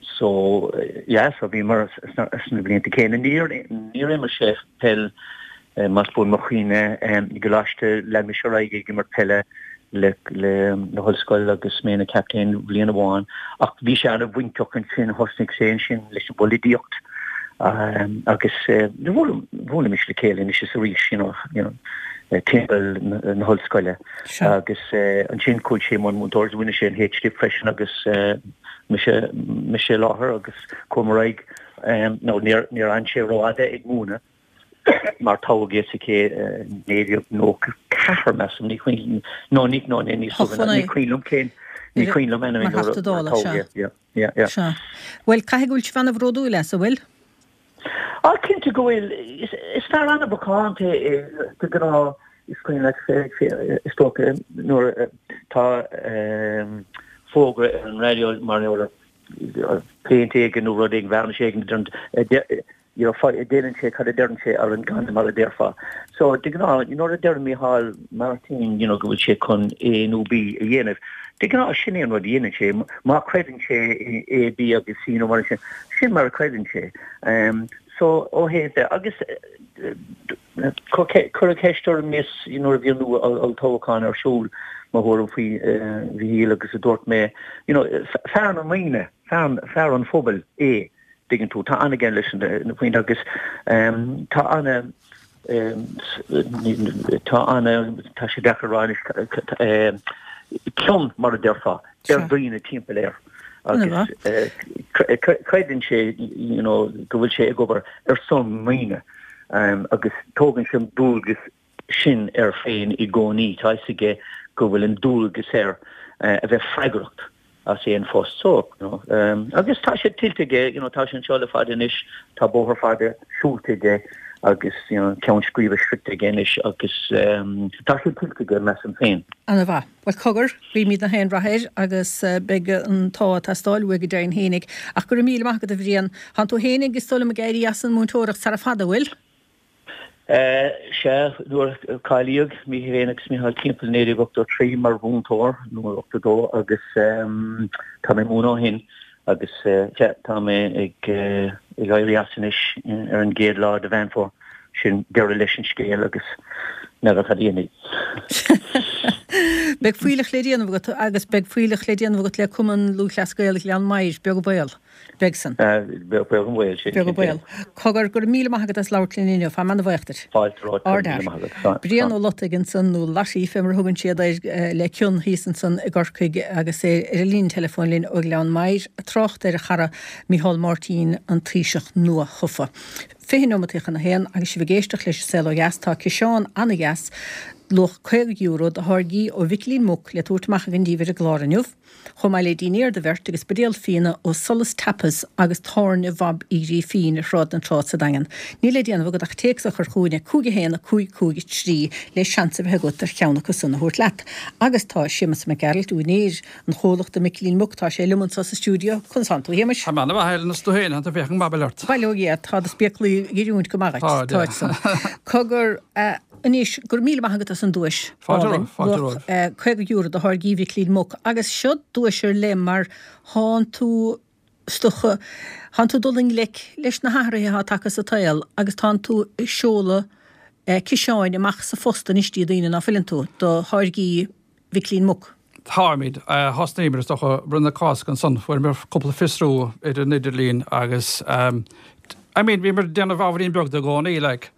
So yeah, so bhíomar sna sna blianta céanna. Níor níor imir sé peil más buan mo chuimhne i gcoláiste, lean mise ar aghaidh ag imirt peile le le hollscoil agus mé ina captaen bliain amháin ach bhí sé an-bhainteach ansin, thosnaigh sé ansin leis an bpolaitíocht agus bhuailimis le chéile anois is arís you know you know timpeall na hollscoile agus ansin chuaigh sé i mbun múinteoireachta, rinne sé an H Dip freisin agus mise mise i láthair agus chuamar ar aghaidh nó níor níor fhan sé rófhada ag múineadh. Mar toghadh é sa chéad naoi déag nócha ceathair, measaim, ní cuimhin, nó ní, nó ní, níos luaithe ná, ní cuimhin liom cén, ní cuimhin liom anyway nuair a toghadh é, yeah, yeah, yeah. Sea. Bhuel, caithfidh go bhfuil sibh an-bhródúil as, an bhfuil? Ah, cinnte go bhfuil. Is, is fear an-mhacánta é de ghnáth, is cuimhin leat, is dócha, nuair tá fógra ar an raidió mar gheall ar péint éigin nó rud éigin, vearnais éigin, you know, déanann sé cad a deireann sé ar an gcanna mar a déarfá. So de ghnáth, nuair a deireann Micheál Martin, you know, go bhfuil sé chun A nó B a dhéanamh, de ghnáth sin é an rud a dhéanann sé. Má chreideann sé A, B agus C nó mar sin, sin mar a chreideann sé. Um, so ó thaobh de, agus cuireadh ceist orm níos nuair a bhí an olltoghchán ar siúl, mo thuairim faoi Mhícheál agus a dúirt mé, you know, fear na ndaoine, fear, fear an phobail é. dtuigeann tú. Tá an-aige leis na daoine agus tá ana, tá ana, tá sé deacair a rá anois, cion mar a déarfá ar dhaoine timpeall air agus creideann sé you know go bhfuil sé ag obair ar son na ndaoine agus tógann sé an dualgas sin air féin i gcónaí. Tá a fhios aige go bhfuil an dualgas air a bheith freagracht as aon phost so, you know. Agus tá sé tuillte aige, you know, tá sé anseo le fada anois, tá bóthar fada siúlta aige agus, you know, ceann scríbe sroichte aige anois agus tá sé tuillte aige, measaim féin. Ana-mhaith. Bhuel, cogar, guímid gach aon rath air agus beidh an t-ádh ag teastáil uaidh go deimhin fhéinig. Ach go raibh míle maith agat, a Bhriain. Tánn tú fhéinig, is dóigh liom, ag éirí as an múinteoireacht sara fada, an bhfuil? Sea, nuair a cáilíodh mé féin agus Micheál timpeall naoi déag ochtó trí mar mhúinteoir, nó ochtó dó, agus tá mé ag múineadh ó shin agus sea, tá mé ag éirí as anois ar an gcéad lá de Mheán Fómhair. Sin deireadh leis an scéal agus n'fheadar cad a dhéanfaidh. Beidh fuílleach le déanamh agat agus beidh fuílleach le déanamh agat le Cumann Lúthchleas Gael Ghleann Maghair, beag an baol. Beidh san. Beag an baol, sin. Beag an baol. Cogar, go raibh míle maith agat as labhairt linn inniu. Táim ana-bhuíoch duit. Fáilte romhat. Go raibh míle maith agat. Slán. Brian Ó Lotaigh ansan, nó Lottie fé mar a thugann siad air le cion thíos ansan i gCorcaigh agus é ar an líne teileafóin linn ó Ghleann Maghair ag trácht ar a chara Micheál Máirtín, an Taoiseach nua-thofa. Fiche neomataí chun a haon agus sibh ag éisteacht leis An Saol Ó Dheas tá ciseán ana-dheas, luach caoga euro, de tháirgí ó Mhicilín Muc le tabhairt amach againn daoibh ar an gclár inniu. Chomh maith le dinnéar do bheirt agus buidéal fíona ó Solas Tapas agus Tábhairne Bhob Uí Ghrífín ar Shráid na Trá sa Daingean. Níl le déanamh agat ach téacs a chur chugainn ag cúig a haon a cúig cúig a trí le seans a bheith agat ar cheann acu san a thabhairt leat. Agus tá Séamus Mac Gearailt, úinéir an chomhlachta Micilín Muc, tá sé liom anseo sa stiúideo. Conas tánn tú, a Shéamais? Tá mé ana-mhaith, a Helen, is tú féin, tá féachaint maith ort. Bail ó Dhia, tá do spéaclaí ag oiriúint go maith duit. Táid san. Cogar, Anois, go raibh míle maith agat as an duais álainn, luach caoga euro de tháirgí Mhicilín Muc. Agus seo duais ar leith mar thánn tú Is dócha, tánn tú ag dul i ngleic leis na hathruithe atá tagtha sa tsaol agus tánn tú ag seoladh ciseáin amach sa phost anois dtí daoine, ná fuileann tú, do tháirgí Mhicilín Muc. Táimid. Thosnaíomar, is dócha, roimh na Cásca ansan, fuaireamar cúpla fiosrú ar an idirlíon agus I mean bhíomar ag déanamh ábhairín beag de i gcónaí like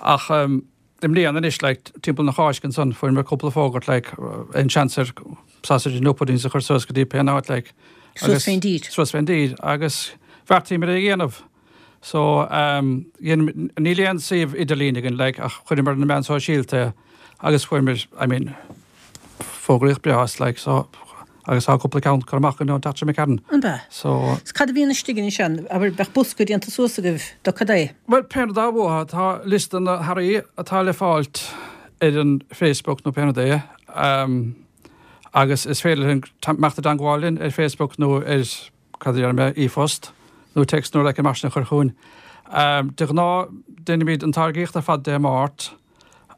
ach i mbliana anois like timpeall na Cásca ansan fuaireamar cúpla fógairt like aon seans ar sausage nó puddings a chur suas go dtí pé áit like Suas fén dtír. Suas fén dtír agus bheartaíomar é a dhéanamh. So um, níl aon suíomh idirlín againn like ach chuireamar ar na meáin sóisialta agus fuaireamar I mean fógraíocht breá as like so agus tá cúpla ceann curtha amach againn ón tseachtain seo imigh tharainn. An bea? So. 'S cad a bhíonn istigh ansin? Abair, bheadh bosca déanta suas agaibh do cad é? Bhuel, pé rud atá uathu, tá liosta na hearraí atá le fáilt ar an Facebook nó pé rud é, agus is féidir linn imeacht i dteangmháil linn ar Facebook nó ar, cad a déarfaidh mé, e-phost nó text nó rud éicint mar sin a chur chugainn. De ghnáth, déanaimid an táirgíocht ar fad Dé Máirt.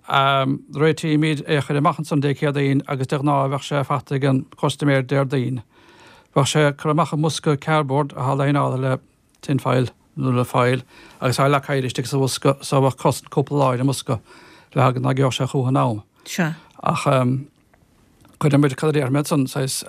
Réitímid é a chur amach ansan Dé Céadaoin agus de ghnáth bheadh sé faighte ag an chustaiméir Déardaoin. Bheadh sé curtha amach i mbosca cardboard atá líneáilte le tin foil nó le foil agus tá leac oighir istigh sa bhosca so bheadh cosaint cúpla lá ar an mbosca le haghaidh nach gheobhadh sé chucu in am. Sea. Ach cuirimid, cad a déarfaidh mé ansan, saghas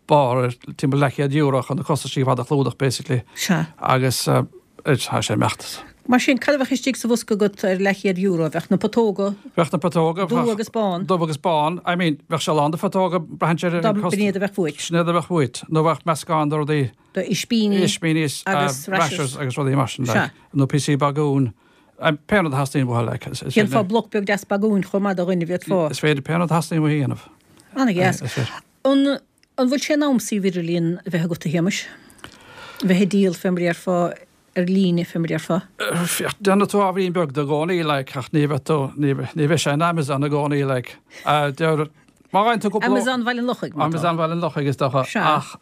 barr ar timpeall leathchéad euro chun na costaisí ar fad a chlúdach basically. Sea. Agus tá sé imeacht. Mar sin, cad a bheadh istigh sa bhosca agat ar leathchéad euro? Bheadh na putóga. Bheadh na putóga. Dubh agus bán. Dubh agus bán. I mean, bheadh sé lán de phutóga, braitheann sé ar an Dá b'in iad a bheadh uait. Sin iad a bheadh uait. Nó bheadh meascán de rudaí. De ispíní. Ispíní agus rashers agus rudaí mar sin, Sea. like. Nó píosaí bagúin. Pé rud a theastaíonn uathu, like. Dhéanfá bloc beag deas bagúin chomh maith do dhuine, bhféadfá. Is féidir pé rud a theastaíonn uathu a dhéanamh. Ana-dheas. Is féidir. An an bhfuil sé in am suíomh idirlíon a bheith agat, a Shéamais? A bheith ag díol fé mar a déarfá ar líne fé mar a déarfá? Féach, déanann tú ábhairín beag de i gcónaí, like, ach ní bheidh tú, ní ní bheidh sé in Amazon i gcónaí, like. Deir, má fhaigheann tú cúpla. Amazon Bhaile an Lochaigh, má tá. Amazon Bhaile an Lochaigh, is dócha. Sea. Ach,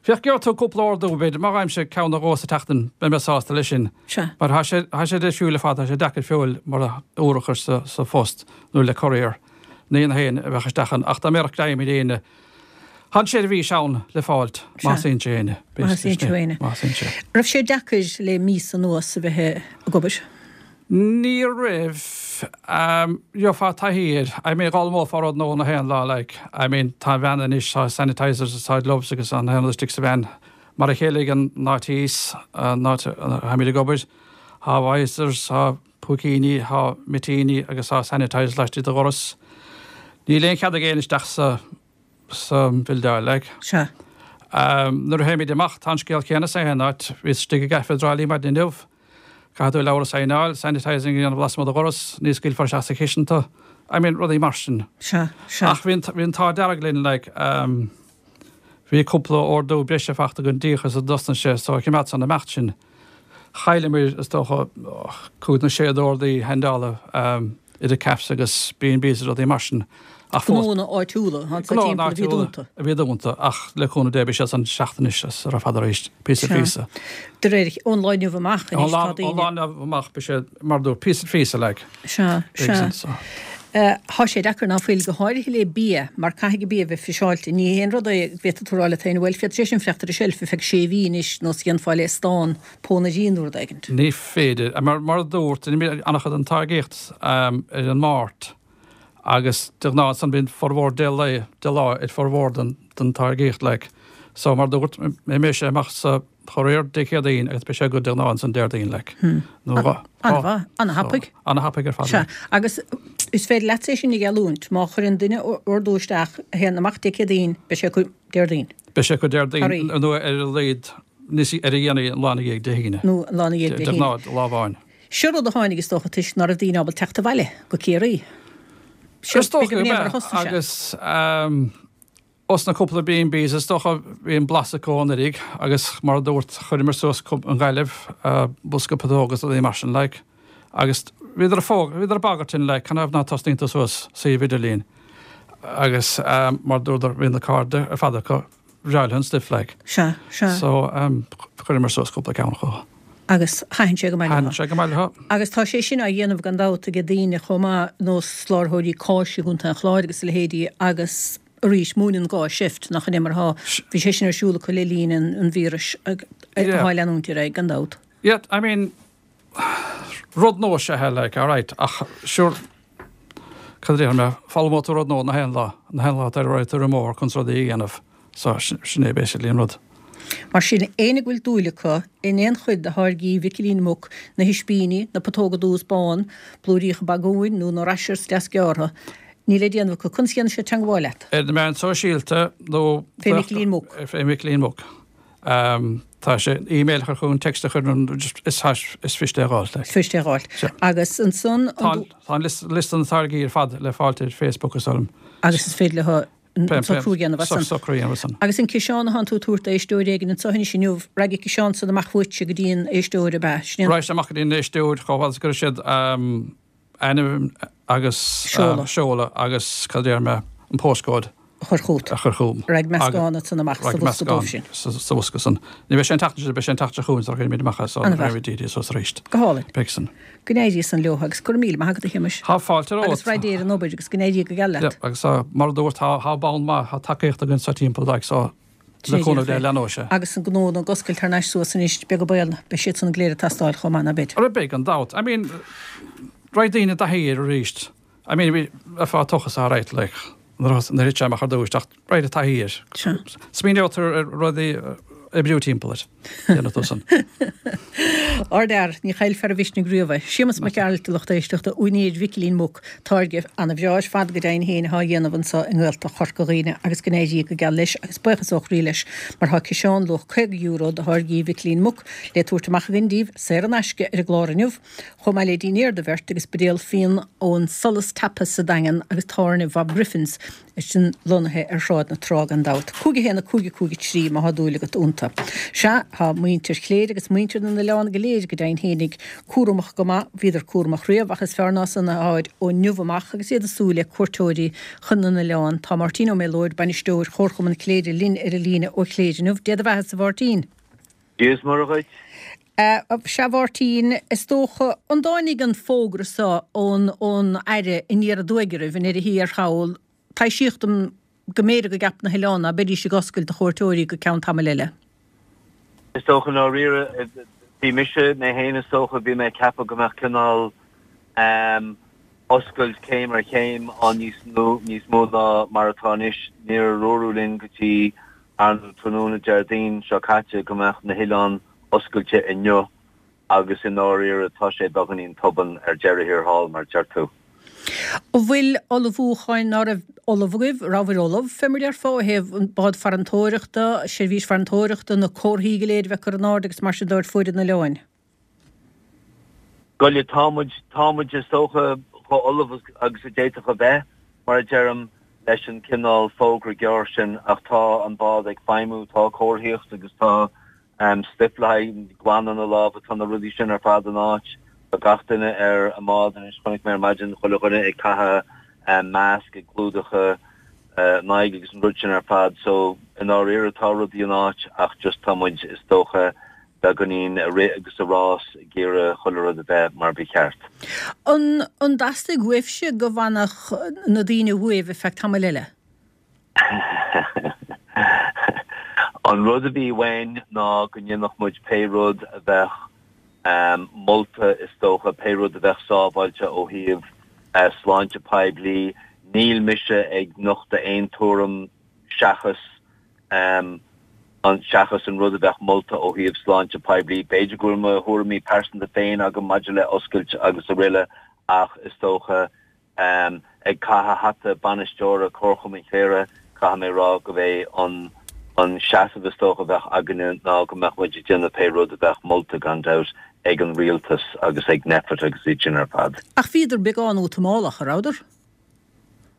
féach, gheobhaidh tú cúpla ordú, b'fhéidir, má fhaighimse ceann nó dhó sa tseachtain, beidh mé sásta leis sin. Sea. Mar tá sé, tá sé difriúil ar fad, tá sé deacair feoil mar a úr a chur sa, sa phost nó le courier. Ní an haon a bheadh isteach ann, ach dá mbeadh greim ar éinne, Tá an seirbhís ann le fáilt, má theastaíonn sé éinne. Má theastaíonn sé éinne. Má theastaíonn sé. Raibh sé deacair le míosa anuas a bheith ag obair? Ní raibh. Gheofá taithí air. I mean, d'fhoghlaimeofá rud nua na haon lá, like. I mean, tá an veain anois, tá sanitizers agus tá gloves agus an aon rud istigh sa veain. Mar a chéile ag an áit thíos, an áit a tháimid ag obair, tá visors, tá púicíní, tá mitíní agus tá sanitizers laistigh de dhoras. Níl aon chead ag éinne isteach sa sa bhildeáil, like. Sea. Nuair a théimid amach, tá an scéal céanna sa aon áit. Bhíos istigh i gcaife i dTrá Lí maidin inniu. Caithfidh tú leabhar a saighneáil, sanitising a dhéanamh lasmuigh de dhoras, ní scaoilfear isteach sa chistin tú. I mean, rudaí mar sin. Sea, sea. Ach bhí an, bhí an t-ádh dearg linn, like, bhí cúpla ordú breise faighte againn díreach as a dtosnaigh sé, so choimeád san imeacht sin. Chailleamar, is dócha, cúig nó sé d'ordaí handála idir cafes agus B and Bs agus rudaí mar sin. Ach fós. Gnóanna áitiúla, ansa Gnóanna timpeall a bhí áitiúla dúnta. a bhí dúnta, ach le cúnamh Dé beidh siad san teacht anois as ar fad arís, píosa Sea. phíosa. De réir, ón lá inniu amach Ón anois lá tá ón daoine. lá inniu amach beidh sé mar a dúirt, píosa phíosa like. Sea, Beidh sea. san so. Tá sé deacair ná fuil, go háirithe le bia, mar caithfidh an bia a bheith friseáilte. Ní haon rud é go bhféadfadh tú a rá leat féin, bhuel, féadfaidh sé sin fanacht ar an tseilf ar feadh sé mhí anois, nós a dhéanfá le stán pónairí nó rud éigint. Ní féidir. Mar, mar a dúirt, rinne an-chuid den táirgíocht ar an Máirt agus de ghnáth ansan bíonn formhór deich lá, deich lá ar formhór den, den táirgíocht like. So mar a dúirt, mbeidh sé amach sa Courier Dé Céadaoin agus beidh sé agat de ghnáth ansan Déardaoin like. Nó dhá. An-mhaith, an-thapaidh. An-thapaidh ar fad. Sea, agus is féidir leatsa é sin a gheallúint, má chuireann duine ordú isteach a théann amach Dé Céadaoin, beidh sé acu Déardaoin. Beidh sé acu Déardaoin Thar nó ar a laghad níos ar a dhéanaí an lá ina dhiaidh Dé hAoine. Nó an lá ina dhiaidh Dé De hAoine. ghnáth, lá amháin. Seo rud a tháinig is dócha toisc ná raibh daoine ábalta teacht abhaile go Ciarraí. Seo Is dócha b'fhéidir go go mar a mbeadh thosnaigh sé. agus Os na cúpla B and Bs is dócha bhí an blas acu anuraidh agus mar a dúirt chuireamar suas i nGaillimh bosca putóg agus rudaí mar sin like agus bhíodar ag fóg bhíodar ag bagairt sinn like canathaobh ná tosnaíonn tú suas suíomh idirlín agus mar dúradar bhí na cairde ar fad acu breá leo an stuif like. Sea, sea. So chuireamar suas cúpla ceann acu. Agus thaitin sé go maith leo. Thaitin sé go maith leo. Agus tá sé sin á dhéanamh gan dabht ag daoine chomh maith nós slárthóirí cáise i gContae an Chláir agus a leithéidí agus arís múineann gá seift, nach in é mar atá, bhí sé sin ar siúl acu le linn an víris atá ag leanúint ar aghaidh, gan dabht. Yeah, I mean, rud nua is ea é, like, alright, ach sure, cad a déarfaidh mé, foghlaimeoidh tú rud nua na haon lá, na haon lá atá ar aghaidh ar an mbóthar chun rudaí a dhéanamh, so sin é basically an rud. Mar sin, éinne go bhfuil dúil acu in aon chuid de tháirgí Mhicilín Muc, na hispíní, na putóga dubha is bán, blúiríocha bagúin nó na rashers deasghearrtha, níl le déanamh acu. Conas a dhéanann siad teangmháil leat? Ar na meáin sóisialta nó. Fé Mhicilín Muc. Fé Mhicilín Muc. Tá sé, email a chur chugainn, text a chur is is fuirist é a dh'fháilt. Is fuirist é a dh'fháilt. Agus ansan. Tá an liosta na táirgí ar fad le fáilt ar Facebook is orm. Agus is féidir leo an socrú a dhéanamh as san. Socrú a dhéanamh as san. Agus an ciseán atánn tú ag tabhairt d'éisteoir éigin anseo anois inniu, raghaidh an ciseán san amach uaitse go dtí an éisteoir, ab ea? Sin é an. Raghaidh sé amach go dtí an éisteoir chomh fada is go gcuirfidh siad ainm agus seoladh agus cad a déarfaidh mé, an postcode. a chur chugat. a chur chugam. Raghaidh meascán ansan amach sa bhosca dóibh sin. Sa bhosca san. Ní bheidh sé an tseachtain seo, beidh sé an tseachtain seo chugainn sula gcuirfimid amach é so An-mhaith. dírí suas arís. Go hálainn. Beidh san. Go n-éirí san leo agus go raibh míle maith agat a Shéamais. Tá fáilte romhat. Agus rath Dé ar an obair agus go n-éirí go geal leat. Yeah, agus tá, mar a dúirt, tá, tá bonn maith, tá tacaíocht againn sa timpeall like so le cúnamh Dé leanóidh sé. Agus an gnó ag oscailt thar n-ais suas anois, beag an baol, beidh siad san go léir ag teastáil chomh maith, ná beidh? Ara beidh, gan dabht. I mean, raghaidh daoine i dtaithí air arís. I mean, bhí, bheifeá tochas alright, like, nuair a thit sé amach ar dtús, ach raghaidh i dtaithí air. Smaoineoidh tú ar rudaí oibriú timpeall air. Déanfaidh tú san. Ardfhear, ní chaillfear a mhisnigh riamh é. Séamus Mac Gearailt, a lucht éisteachta, úinéir Mhicilín Muc, táirge ana-bhreá ar fad go deimhin féin atá á dhéanamh anso i nGaeltacht Chorca Dhuibhne agus go n-éirí go geal leis agus buíochas ó chroí leis mar tá ciseán luach caoga euro de tháirgí Mhicilín Muc le tabhairt amach againn daoibh saor in aisce ar an gclár inniu. Chomh maith le dinnéar do bheirt agus buidéal fíon ón Solas Tapas sa Daingean agus tábhairne Bhob Griffin's, sin lonnaithe ar Shráid na Trá gan dabht. Cúig a haon a cúig a cúig a trí má thá dúil agat iontu. Sea, thá muintir Chléire agus muintir na n-oileán go léir go deimhin fhéinig cúramach go maith, bhíodar cúramach riamh ach is fearr ná san atháid ó inniu amach agus iad ag súil le cuairteoirí chun na n-oileán. Tá Máirtín Ó Méalóid, bainisteoir Chomharchumann Chléire linn ar an líne ó Chléire inniu. Dé do bheatha-sa a Mháirtín. Dia is Muire dhuit. Sea, a Mháirtín, is dócha, an dtáinig an fógra so ón ón Aire aniar aduaidh oraibh i ndeireadh thiar thall, taibhsíodh dom go mb'fhéidir go gceap na hoileáin ná beidís ag oscailt do chuairteoirí go ceann tamaill eile. Is dócha, i ndáiríre, bhí mise, mé féin is dócha, bhí mé ag ceapadh go mbeadh cineál oscailt céim ar chéim ann níos níos mó ná mar atá anois. Níor dúradh linn go dtí Ar tráthnóna Déardaoin seo caite go mbeadh na hoileáin oscailte inniu agus i ndáiríre tá sé beagáinín tobann ar deireadh thiar thall, mar a deir tú. An bhfuil ullmhúcháin, ná raibh ullamh agaibh, rabhabhair ullamh, fé mar déarfá, ó thaobh an bád farantóireachta, seirbhís farantóireachta, na comharthaí go léir a bheith curtha in airde agus mar sin de ar fuaid na n-oileáin? Bhuel, tá muid, tá muid is dócha chomh ullamh agus a d'fhéadfadh a bheith, mar a deirim, leis an cineál fógra gearr sin ach tá an bád ag feidhmiú, tá comharthaíocht agus tá stuif le haghaidh glanadh na lámha, tá na rudaí sin ar fad in áit. Tá gach duine ar an mbád anois, chonaic mé ar maidin chuile dhuine ag caitheamh masc, ag clúdach a n-aghaidh agus an rud sin ar fad so i ndáiríre tá rudaí in áit ach just tá muid is dócha beagáinín ag rith agus ag rás ag iarraidh chuile rud a bheith mar ba cheart. An an dteastaigh uaibhse go bhfanfadh na daoine uaibh ar feadh tamaill eile? An rud a bhí uainn ná go ndéanfadh muid pé rud a bheadh molta is dócha, pé rud a bheadh sábháilte ó thaobh sláinte poiblí. Níl mise ag nochtadh aon tuairim seachas an seachas an rud a bheadh molta ó thaobh sláinte poiblí. B'fhéidir go bhfuil mo thuairimí pearsanta féin agam maidir le oscailt agus araile ach is dócha, ag caitheamh hata bainisteora Comharchumann Chléire, caithfidh mé a rá gurb é an an seasamh is dócha a bheadh againne ná go mbeadh muid ag déanamh pé rud a bheadh molta gan dabht ag an rialtas agus ag Nphet agus iad sin ar fad. Ach bhíodar beagán útamálach, a rabhadar?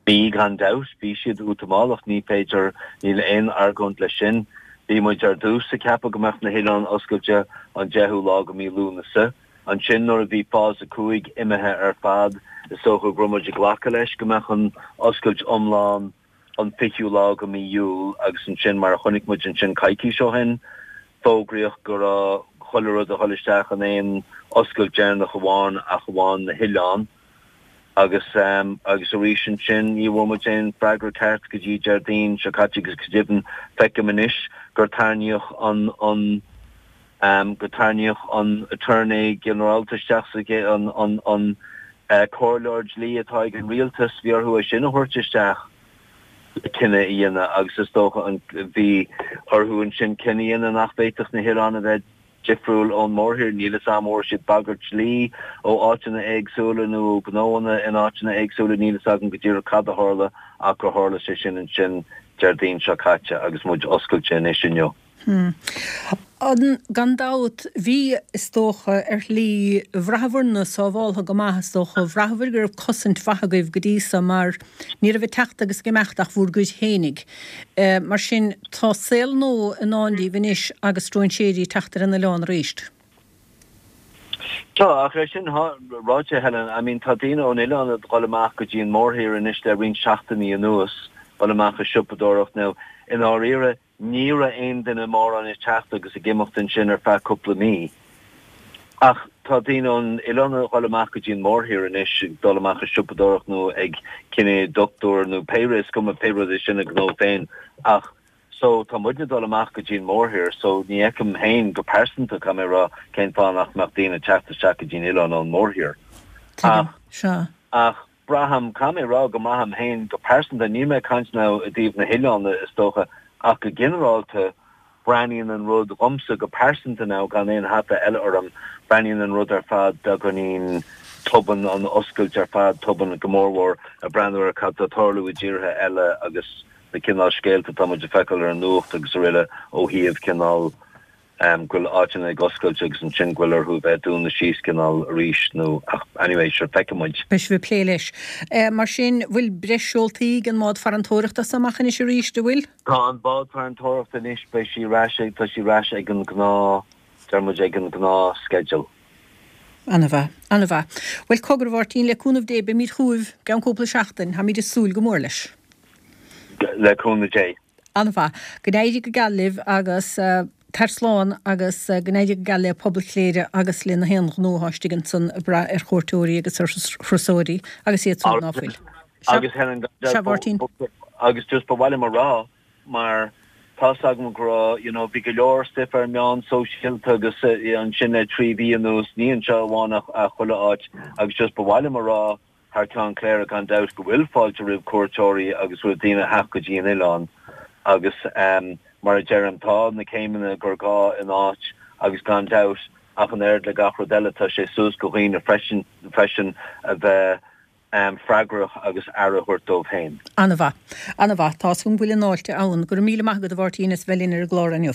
Bhí, gan dabht. Bhí siad útamálach. Ní féidir, níl aon argóint leis sin. Bhí muid ar dtús ag ceapadh go mbeadh na hoileáin oscailte an deichiú lá go mí Lúnasa. Ansin nuair a bhí Fás a cúig imithe ar fad, is dócha go raibh muid ag glacadh leis go mbeadh an oscailt iomlán an fichiú lá go mí Iúil agus ansin mar a chonaic muid ansin coicís ó shin, fógraíodh go raibh chuile rud a dhul isteach in aon oscailt deireanach amháin ach amháin na hoileáin. Agus agus arís ansin ní bhfuair muid aon freagra ceart go dtí Déardaoin seo caite agus go deimhin feicim anois gur tarraingíodh an an gur tarraingíodh an Aturnae Ginearálta isteach sa an an an comhairleoir dlí atá ag an rialtas, bhí orthu é sin a thabhairt isteach le cinneadh a dhéanamh agus is dócha an bhí orthu ansin cinneadh a dhéanamh nach bhféadfadh na hoileáin a bheith difriúil ón mórthír. Níl 'fhios a'm an bhfuair siad bagairt dlí ó áiteanna éagsúla nó ó ghnóanna in áiteanna éagsúla, níl 'fhios agam go díreach cad a tharla ach gur tharla sé sin ansin Déardaoin seo caite agus muid oscailte anois inniu. Gan dabht, bhí, is dócha, ar shlí, bhraitheabhair-ne sábháltha go maith, is dócha, bhraitheabhair go raibh cosaint mhaith agaibh go dtí so mar ní raibh ag teacht agus ag imeacht ach bhúr gcuid fhéinig. Mar sin, tá saol nua i ndán daoibh anois agus stróinséirí ag teacht ar an oileán arís. Tá, ach é sin ráite, Helen, I mean, tá daoine ón oileán ag dul amach go dtí an mórthír anois le roinnt seachtainí anuas, dul amach ag siopadóireacht now, i ndáiríre, Ní raibh aon duine mórán ag teacht agus ag imeacht ansin ar feadh cúpla mí. Ach tá daoine ón oileán ag dul amach go dtí an mórthír anois, ag dul amach ag siopadóireacht nó ag coinne dochtúir nó pé rud, is cuma pé rud é sin a ngnó féin. Ach so tá muidne ag dul amach go dtí an mórthír so ní fheicim féin go pearsanta, caithfidh mé a rá, cén fáth nach mbeadh daoine ag teacht isteach go dtí an oileán ón mórthír. Tuigim. Sea. Ach. Braithim, caithfidh mé a rá go mbraithim féin go pearsanta, níl mé ag caint now i dtaobh na hoileáin is dócha, ach go ginearálta, breathnaíonn an rud dhomsa go pearsanta now, gan aon hata eile orm, breathnaíonn an rud ar fad beagáinín tobann, an oscailt ar fad tobann, go mórmhór ag breathnú ar cad tá ag tarlú i dtíortha eile agus na cineál scéalta atá muid ag feiceáil ar an nuacht agus araile ó thaobh cineál go bhfuil áiteanna ag oscailt agus ansin go bhfuil orthu a bheith ag dúnadh síos cineál arís nó ach anyway sure feicfidh muid. Beidh sibh ag plé leis. Mar sin, bhfuil breis seoltaí ag an mbád farantóireachta as so amach anois arís, an bhfuil? Tá an bád farantóireachta anois, beidh sí ar ais ag, tá sí ar ais ag an gnáth, deir muid ag an gnáth schedule. Ana-mhaith. Ana-mhaith. Bhuel, cogar a Mháirtín, le cúnamh Dé beimid chugaibh i gceann cúpla seachtain. Táimid ag súil go mór leis. Le cúnamh Dé. An-mhaith. Go n-éirí go geal libh agus tar slán agus go n-éirí go geal le pobal Chléire agus le na haon ghnó atá istigh ansan ag brath ar chuairteoirí agus ar thurasóirí agus iad siúd ná fuil. Sea. Agus Helen, Sea, Mháirtín. Agus just ba mhaith liom a rá mar tá's agam go raibh, you know, bhí go leor stuif ar meáin sóisialta agus ansin le trí mhí anuas, ní anseo amháin ach chuile áit agus just ba mhaith liom a rá thar ceann Chléire gan dabht go bhfuil fáilte roimh cuairteoirí agus roimh daoine a theacht go dtí an oileán agus mar a deirim tá na céimeanna gur gá in áit agus gan dabht ach an oiread le gach rud eile tá sé suas go dhaoine freisin freisin a bheith freagrach agus aire a thabhairt dóibh féin. An-mhaith. An-mhaith. Tá's agam go bhfuil an fháilte ann. Go raibh míle maith agat a Mháirtín as bheith linn ar an gclár inniu.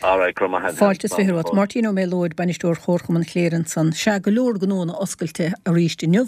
Alright, go raibh maith agat. Fáilte is fiche romhat. Máirtín Ó Méalóid, Bainisteoir Chomharchumann Chléire ansan. Sea, go leor gnóanna oscailte arís inniu.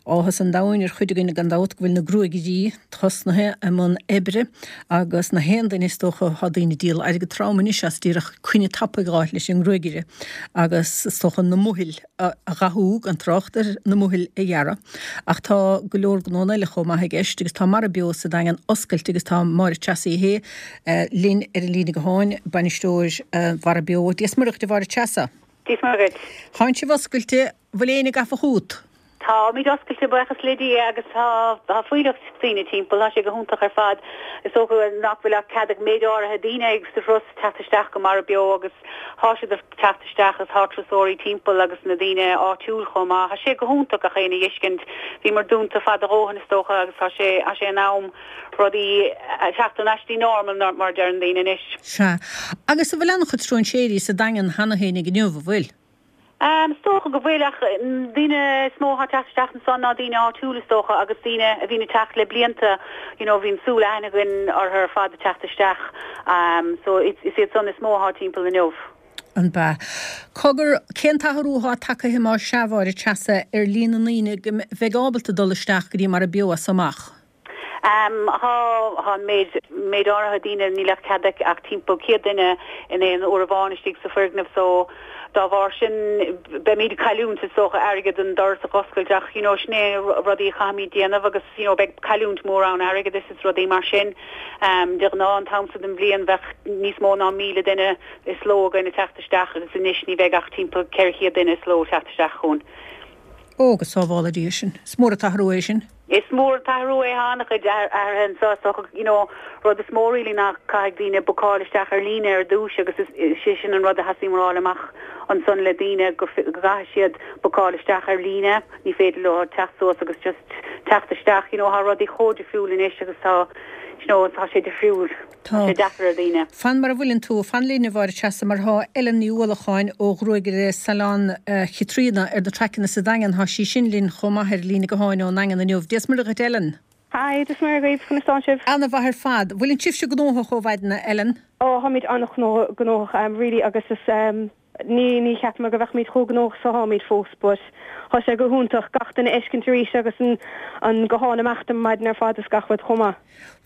Áthas an domhain ar chuid againn gan dabht go bhfuil na gruaigirí tosnaithe i mbun oibre agus na haon duine is dócha tá daoine ag díol airgead trom anois as díreach coinne tapaidh a dh'fháil leis an ngruagaire agus is dócha na mohill a dhathú gan trácht ar na mohill a ghearradh. Ach tá go leor gnónna eile chomh maith i gceist agus tá Mara Beo sa Daingean oscailte agus tá Máire Treasa Uí Shé linn ar an líne gutháin, bainisteoir Mhara Beo. Dia 's Muire dhuit a Mháire Treasa. Dia 's Muire dhuit. Tánn sibh oscailte, bhfuil éinne gafa chút? Táimid oscailte, buíochas le Dia, agus tá tá fuílleach daoine timpeall, tá sé go hiontach ar fad. Is dócha nach bhfuil ach cead ag méid áirithe daoine ag sa thuras teacht isteach go Mara Beo agus Thá siad ag teacht isteach agus thá turasóirí timpeall agus na daoine áitiúil chomh maith. Thá sé go hiontach gach éinne a dh'fheiscint. Bhíomar dúnta fada a dhóthain is dócha agus tá sé, thá sé in am rudaí a theacht ar ais dtí normal mar a deireann daoine anois. Sea. Agus an bhfuil an-chuid stróinséirí sa Daingean cheana féin ag inniu, an bhfuil? Is dócha go bhfuil, ach daoine is mó atá ag teacht isteach ansan ná daoine áitiúil is dócha agus daoine a bhíonn ag teacht le blianta, you know bhíonn súil aithne againn orthu ar fad ag teacht isteach so is iad san is mó atá timpeall inniu. An b'ea? Cogar, cén t-athrú atá tagtha más ea, a Mháire Treasa, ar líon na ndaoine go bheidh ábalta dul isteach go dtí Mara Beo as so amach? Tá, tá an méid, méid áirithe daoine, níl ach cead ach timpeall céad duine in aon uair amháin istigh sa foirgneamh so dá bharr sin beimid ag cailliúint is dócha airgead an doras a dh'oscailt ach you know sin é rudaí a chaithfimid déanamh agus you know beidh cailliúint mór ann airgeadais is rudaí mar sin. De ghnáth an t-am so den bhliain bheadh níos mó ná míle duine is ló againn ag teacht isteach agus anois ní bheidh ach timpeall ceithre chéad duine is ló ag teacht isteach chugainn. Ó, go sábhála Dia sinn. Is mór an t-athrú é sin. Is mór an t-athrú é, tá an-chuid athruithe anseo, so you know, rud is mó really ná caithfidh daoine bookáil isteach ar líne ar dtús agus is sé sin an rud a theastaíonn a fháil amach ansan le daoine go gcaithfidh siad bookáil isteach ar líne, ní féidir leo teacht suas agus just teacht isteach, you know, tá rudaí chomh difriúil anois agus tá you know, tá sé difriúil. Tá sé deacair ar dhaoine. Fan mar a bhfuileann tú, fan linn a Mháire Treasa mar thá Ellen Ní Uallacháin ó ghruagaire Salon Chaitríona ar na traiceanna sa Daingean, thá sí sin linn chomh maith ar líne gutháin ón nDaingean inniu. Dia 's Muire dhuit Ellen. Hi, Dia 's Muire dhaoibh, conas tánn sibh? Ana mhaith ar fad. Bhfuileann sibhse gnóthach ó mhaidin a Ellen? Ó, tháimid an-ghnóthach, really agus is Ní, ní cheapaim go bheadh muid chomh gnóthach is atáimid fós but thá sé go hiontach gach duine a fheiscint arís agus an, an guthán amach ar maidin ar fad is gach rud chomh maith.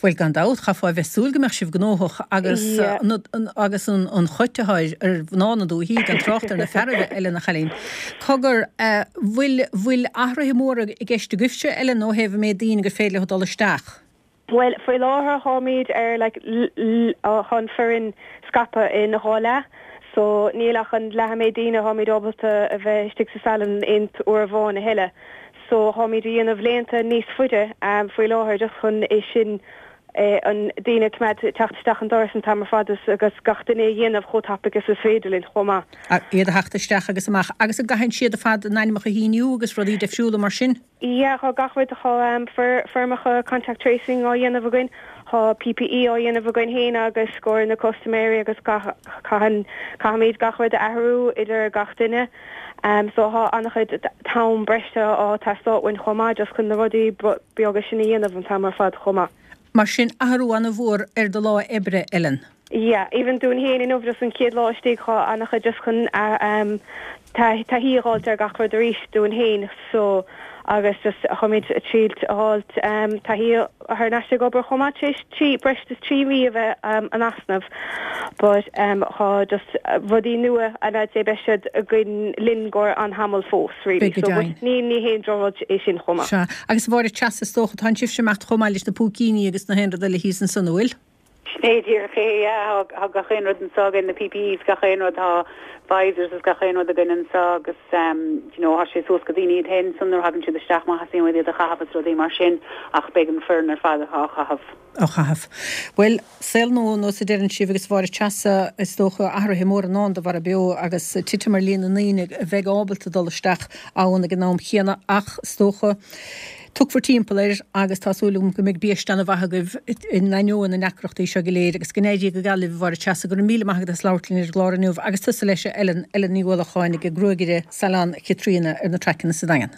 Bhuel gan dabht, chaithfeá a bheith súil go mbeadh sibh gnóthach agus Yeah. na, agus an, an choit atá ar, ar mhná na dúichí gan trácht ar na fearaibh Ellen a chailín. Cogar, eh, bhfuil, bhfuil athruithe móra i gceist agaibhse Ellen ó thaobh an méid daoine gur féidir leo dul isteach? Bhuel, faoi láthair táimid ar like tá an foireann scaipthe in dhá leath so níl ach an leath an méid daoine táimid ábalta a bheith istigh sa salon aon uair amháin a thuilleadh. So táimid a dhéanamh laethanta níos faide faoi láthair just chun é sin an daoine coimeád teacht isteach an doras an t-am ar fad agus gach duine a dhéanamh chomh tapaidh is is féidir linn chomh maith. Iad a theacht isteach agus amach. Agus an gcaitheann siad ar fad a n-ainmeacha a shíniú agus rudaí deifriúla mar sin? Yeah, tá gach rud, tá foirmeacha contact tracing á dhéanamh againn, tá PPE á dhéanamh againn féin agus scór na custaiméirí agus caitheann, caithfimid gach rud a athrú idir gach duine. So tá an-chuid t-am breise á teastáil uainn chomh maith just chun na rudaí beaga sin a dhéanamh an t-am ar fad chomh maith. Mar sin, athrú an-mhór ar do lá oibre, Ellen. Yeah, even dúinn féin inniu just an chéad lá istigh tá an-chuid just chun taithí a fháilt ar gach rud arís dúinn féin so agus just táimid ag triail a fháilt taithí thar n-ais ag obair chomh maith tar éis trí breis is trí mhí a bheith in easnamh but tá just rudaí nua and I'd say beidh siad againn linn go an-tamall fós really Beidh go so deimhin. but ní ní haon drochrud é sin chomh maith. Sea, agus a Mháire Treasa is dócha tá sibhse ag imeacht chomh maith leis na púicíní agus na haon rud eile thíos ansan, an bhfuil? Sin é díreach é, yeah, tá gach aon rud anseo againn, na PPEs, gach aon rud, tá visors is gach aon rud againn anseo agus um, you know, tá sé suas go daoine iad féin san nuair a thagann siad isteach má theastaíonn uait iad a chaitheamh is rudaí mar sin ach beidh an foireann ar fad á chaitheamh. á chaitheamh. Bhuel, saol nua nós a deireann sibh agus a Mháire Treasa is dócha athruithe móra i ndán do Bharra Beo agus titim ar líon na ndaoine a bheidh ábalta dul isteach ann ag an am chéanna ach is dócha tiocfar timpeall air agus tá súil agam go mbeidh biaiste an-mhaith agaibh in ainneoin na ndeacrachtaí seo go léir agus go n-éirí go geal libh a Mháire Treasa. Go raibh míle maith agat as labhairt linn ar an gclár inniu agus tusa leis a Ellen, Ellen Ní Uallacháin ag gruagaire Salon Chaitríona ar na traiceanna sa Daingean.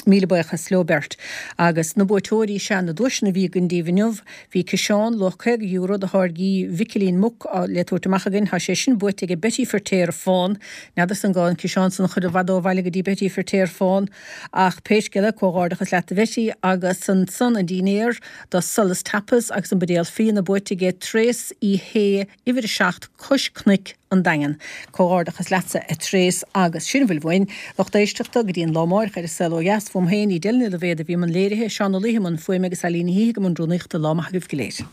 Míle buíochas leo beirt. Agus na buaiteoirí sea na duaiseanna a bhí againn daoibh inniu. Bhí ciseán luach caoga euro de tháirgí Mhicilín Muc le tabhairt amach againn. Tá sé sin buaite ag Betty Firtéar Fán. N'fheadarsa an gá an ciseán san a chur i bhfad ó bhaile go dtí Betty Firtéar Fán. Ach pé scéal é, comhghairdeachas leat a Bhetty. Agus ansan an dinnéar do Solas Tapas agus an buidéal fíona buaite ag Tréas Uí Shé, uimhir a seacht, Cois Cnoic, An Daingean. Comhghairdeachas leatsa a Thréas agus sin a bhfuil uainn, lucht éisteachta, go dtí an lá amáireach ar An Saol Ó Dheas. Fúm féin, Edel Ní Loibhéad a bhí i mbun léirithe, Seán Ó Laoithe i mbun fuaime agus Eileen Ní hÍthigh i mbun rúnaíochta. Lá maith agaibh go léir.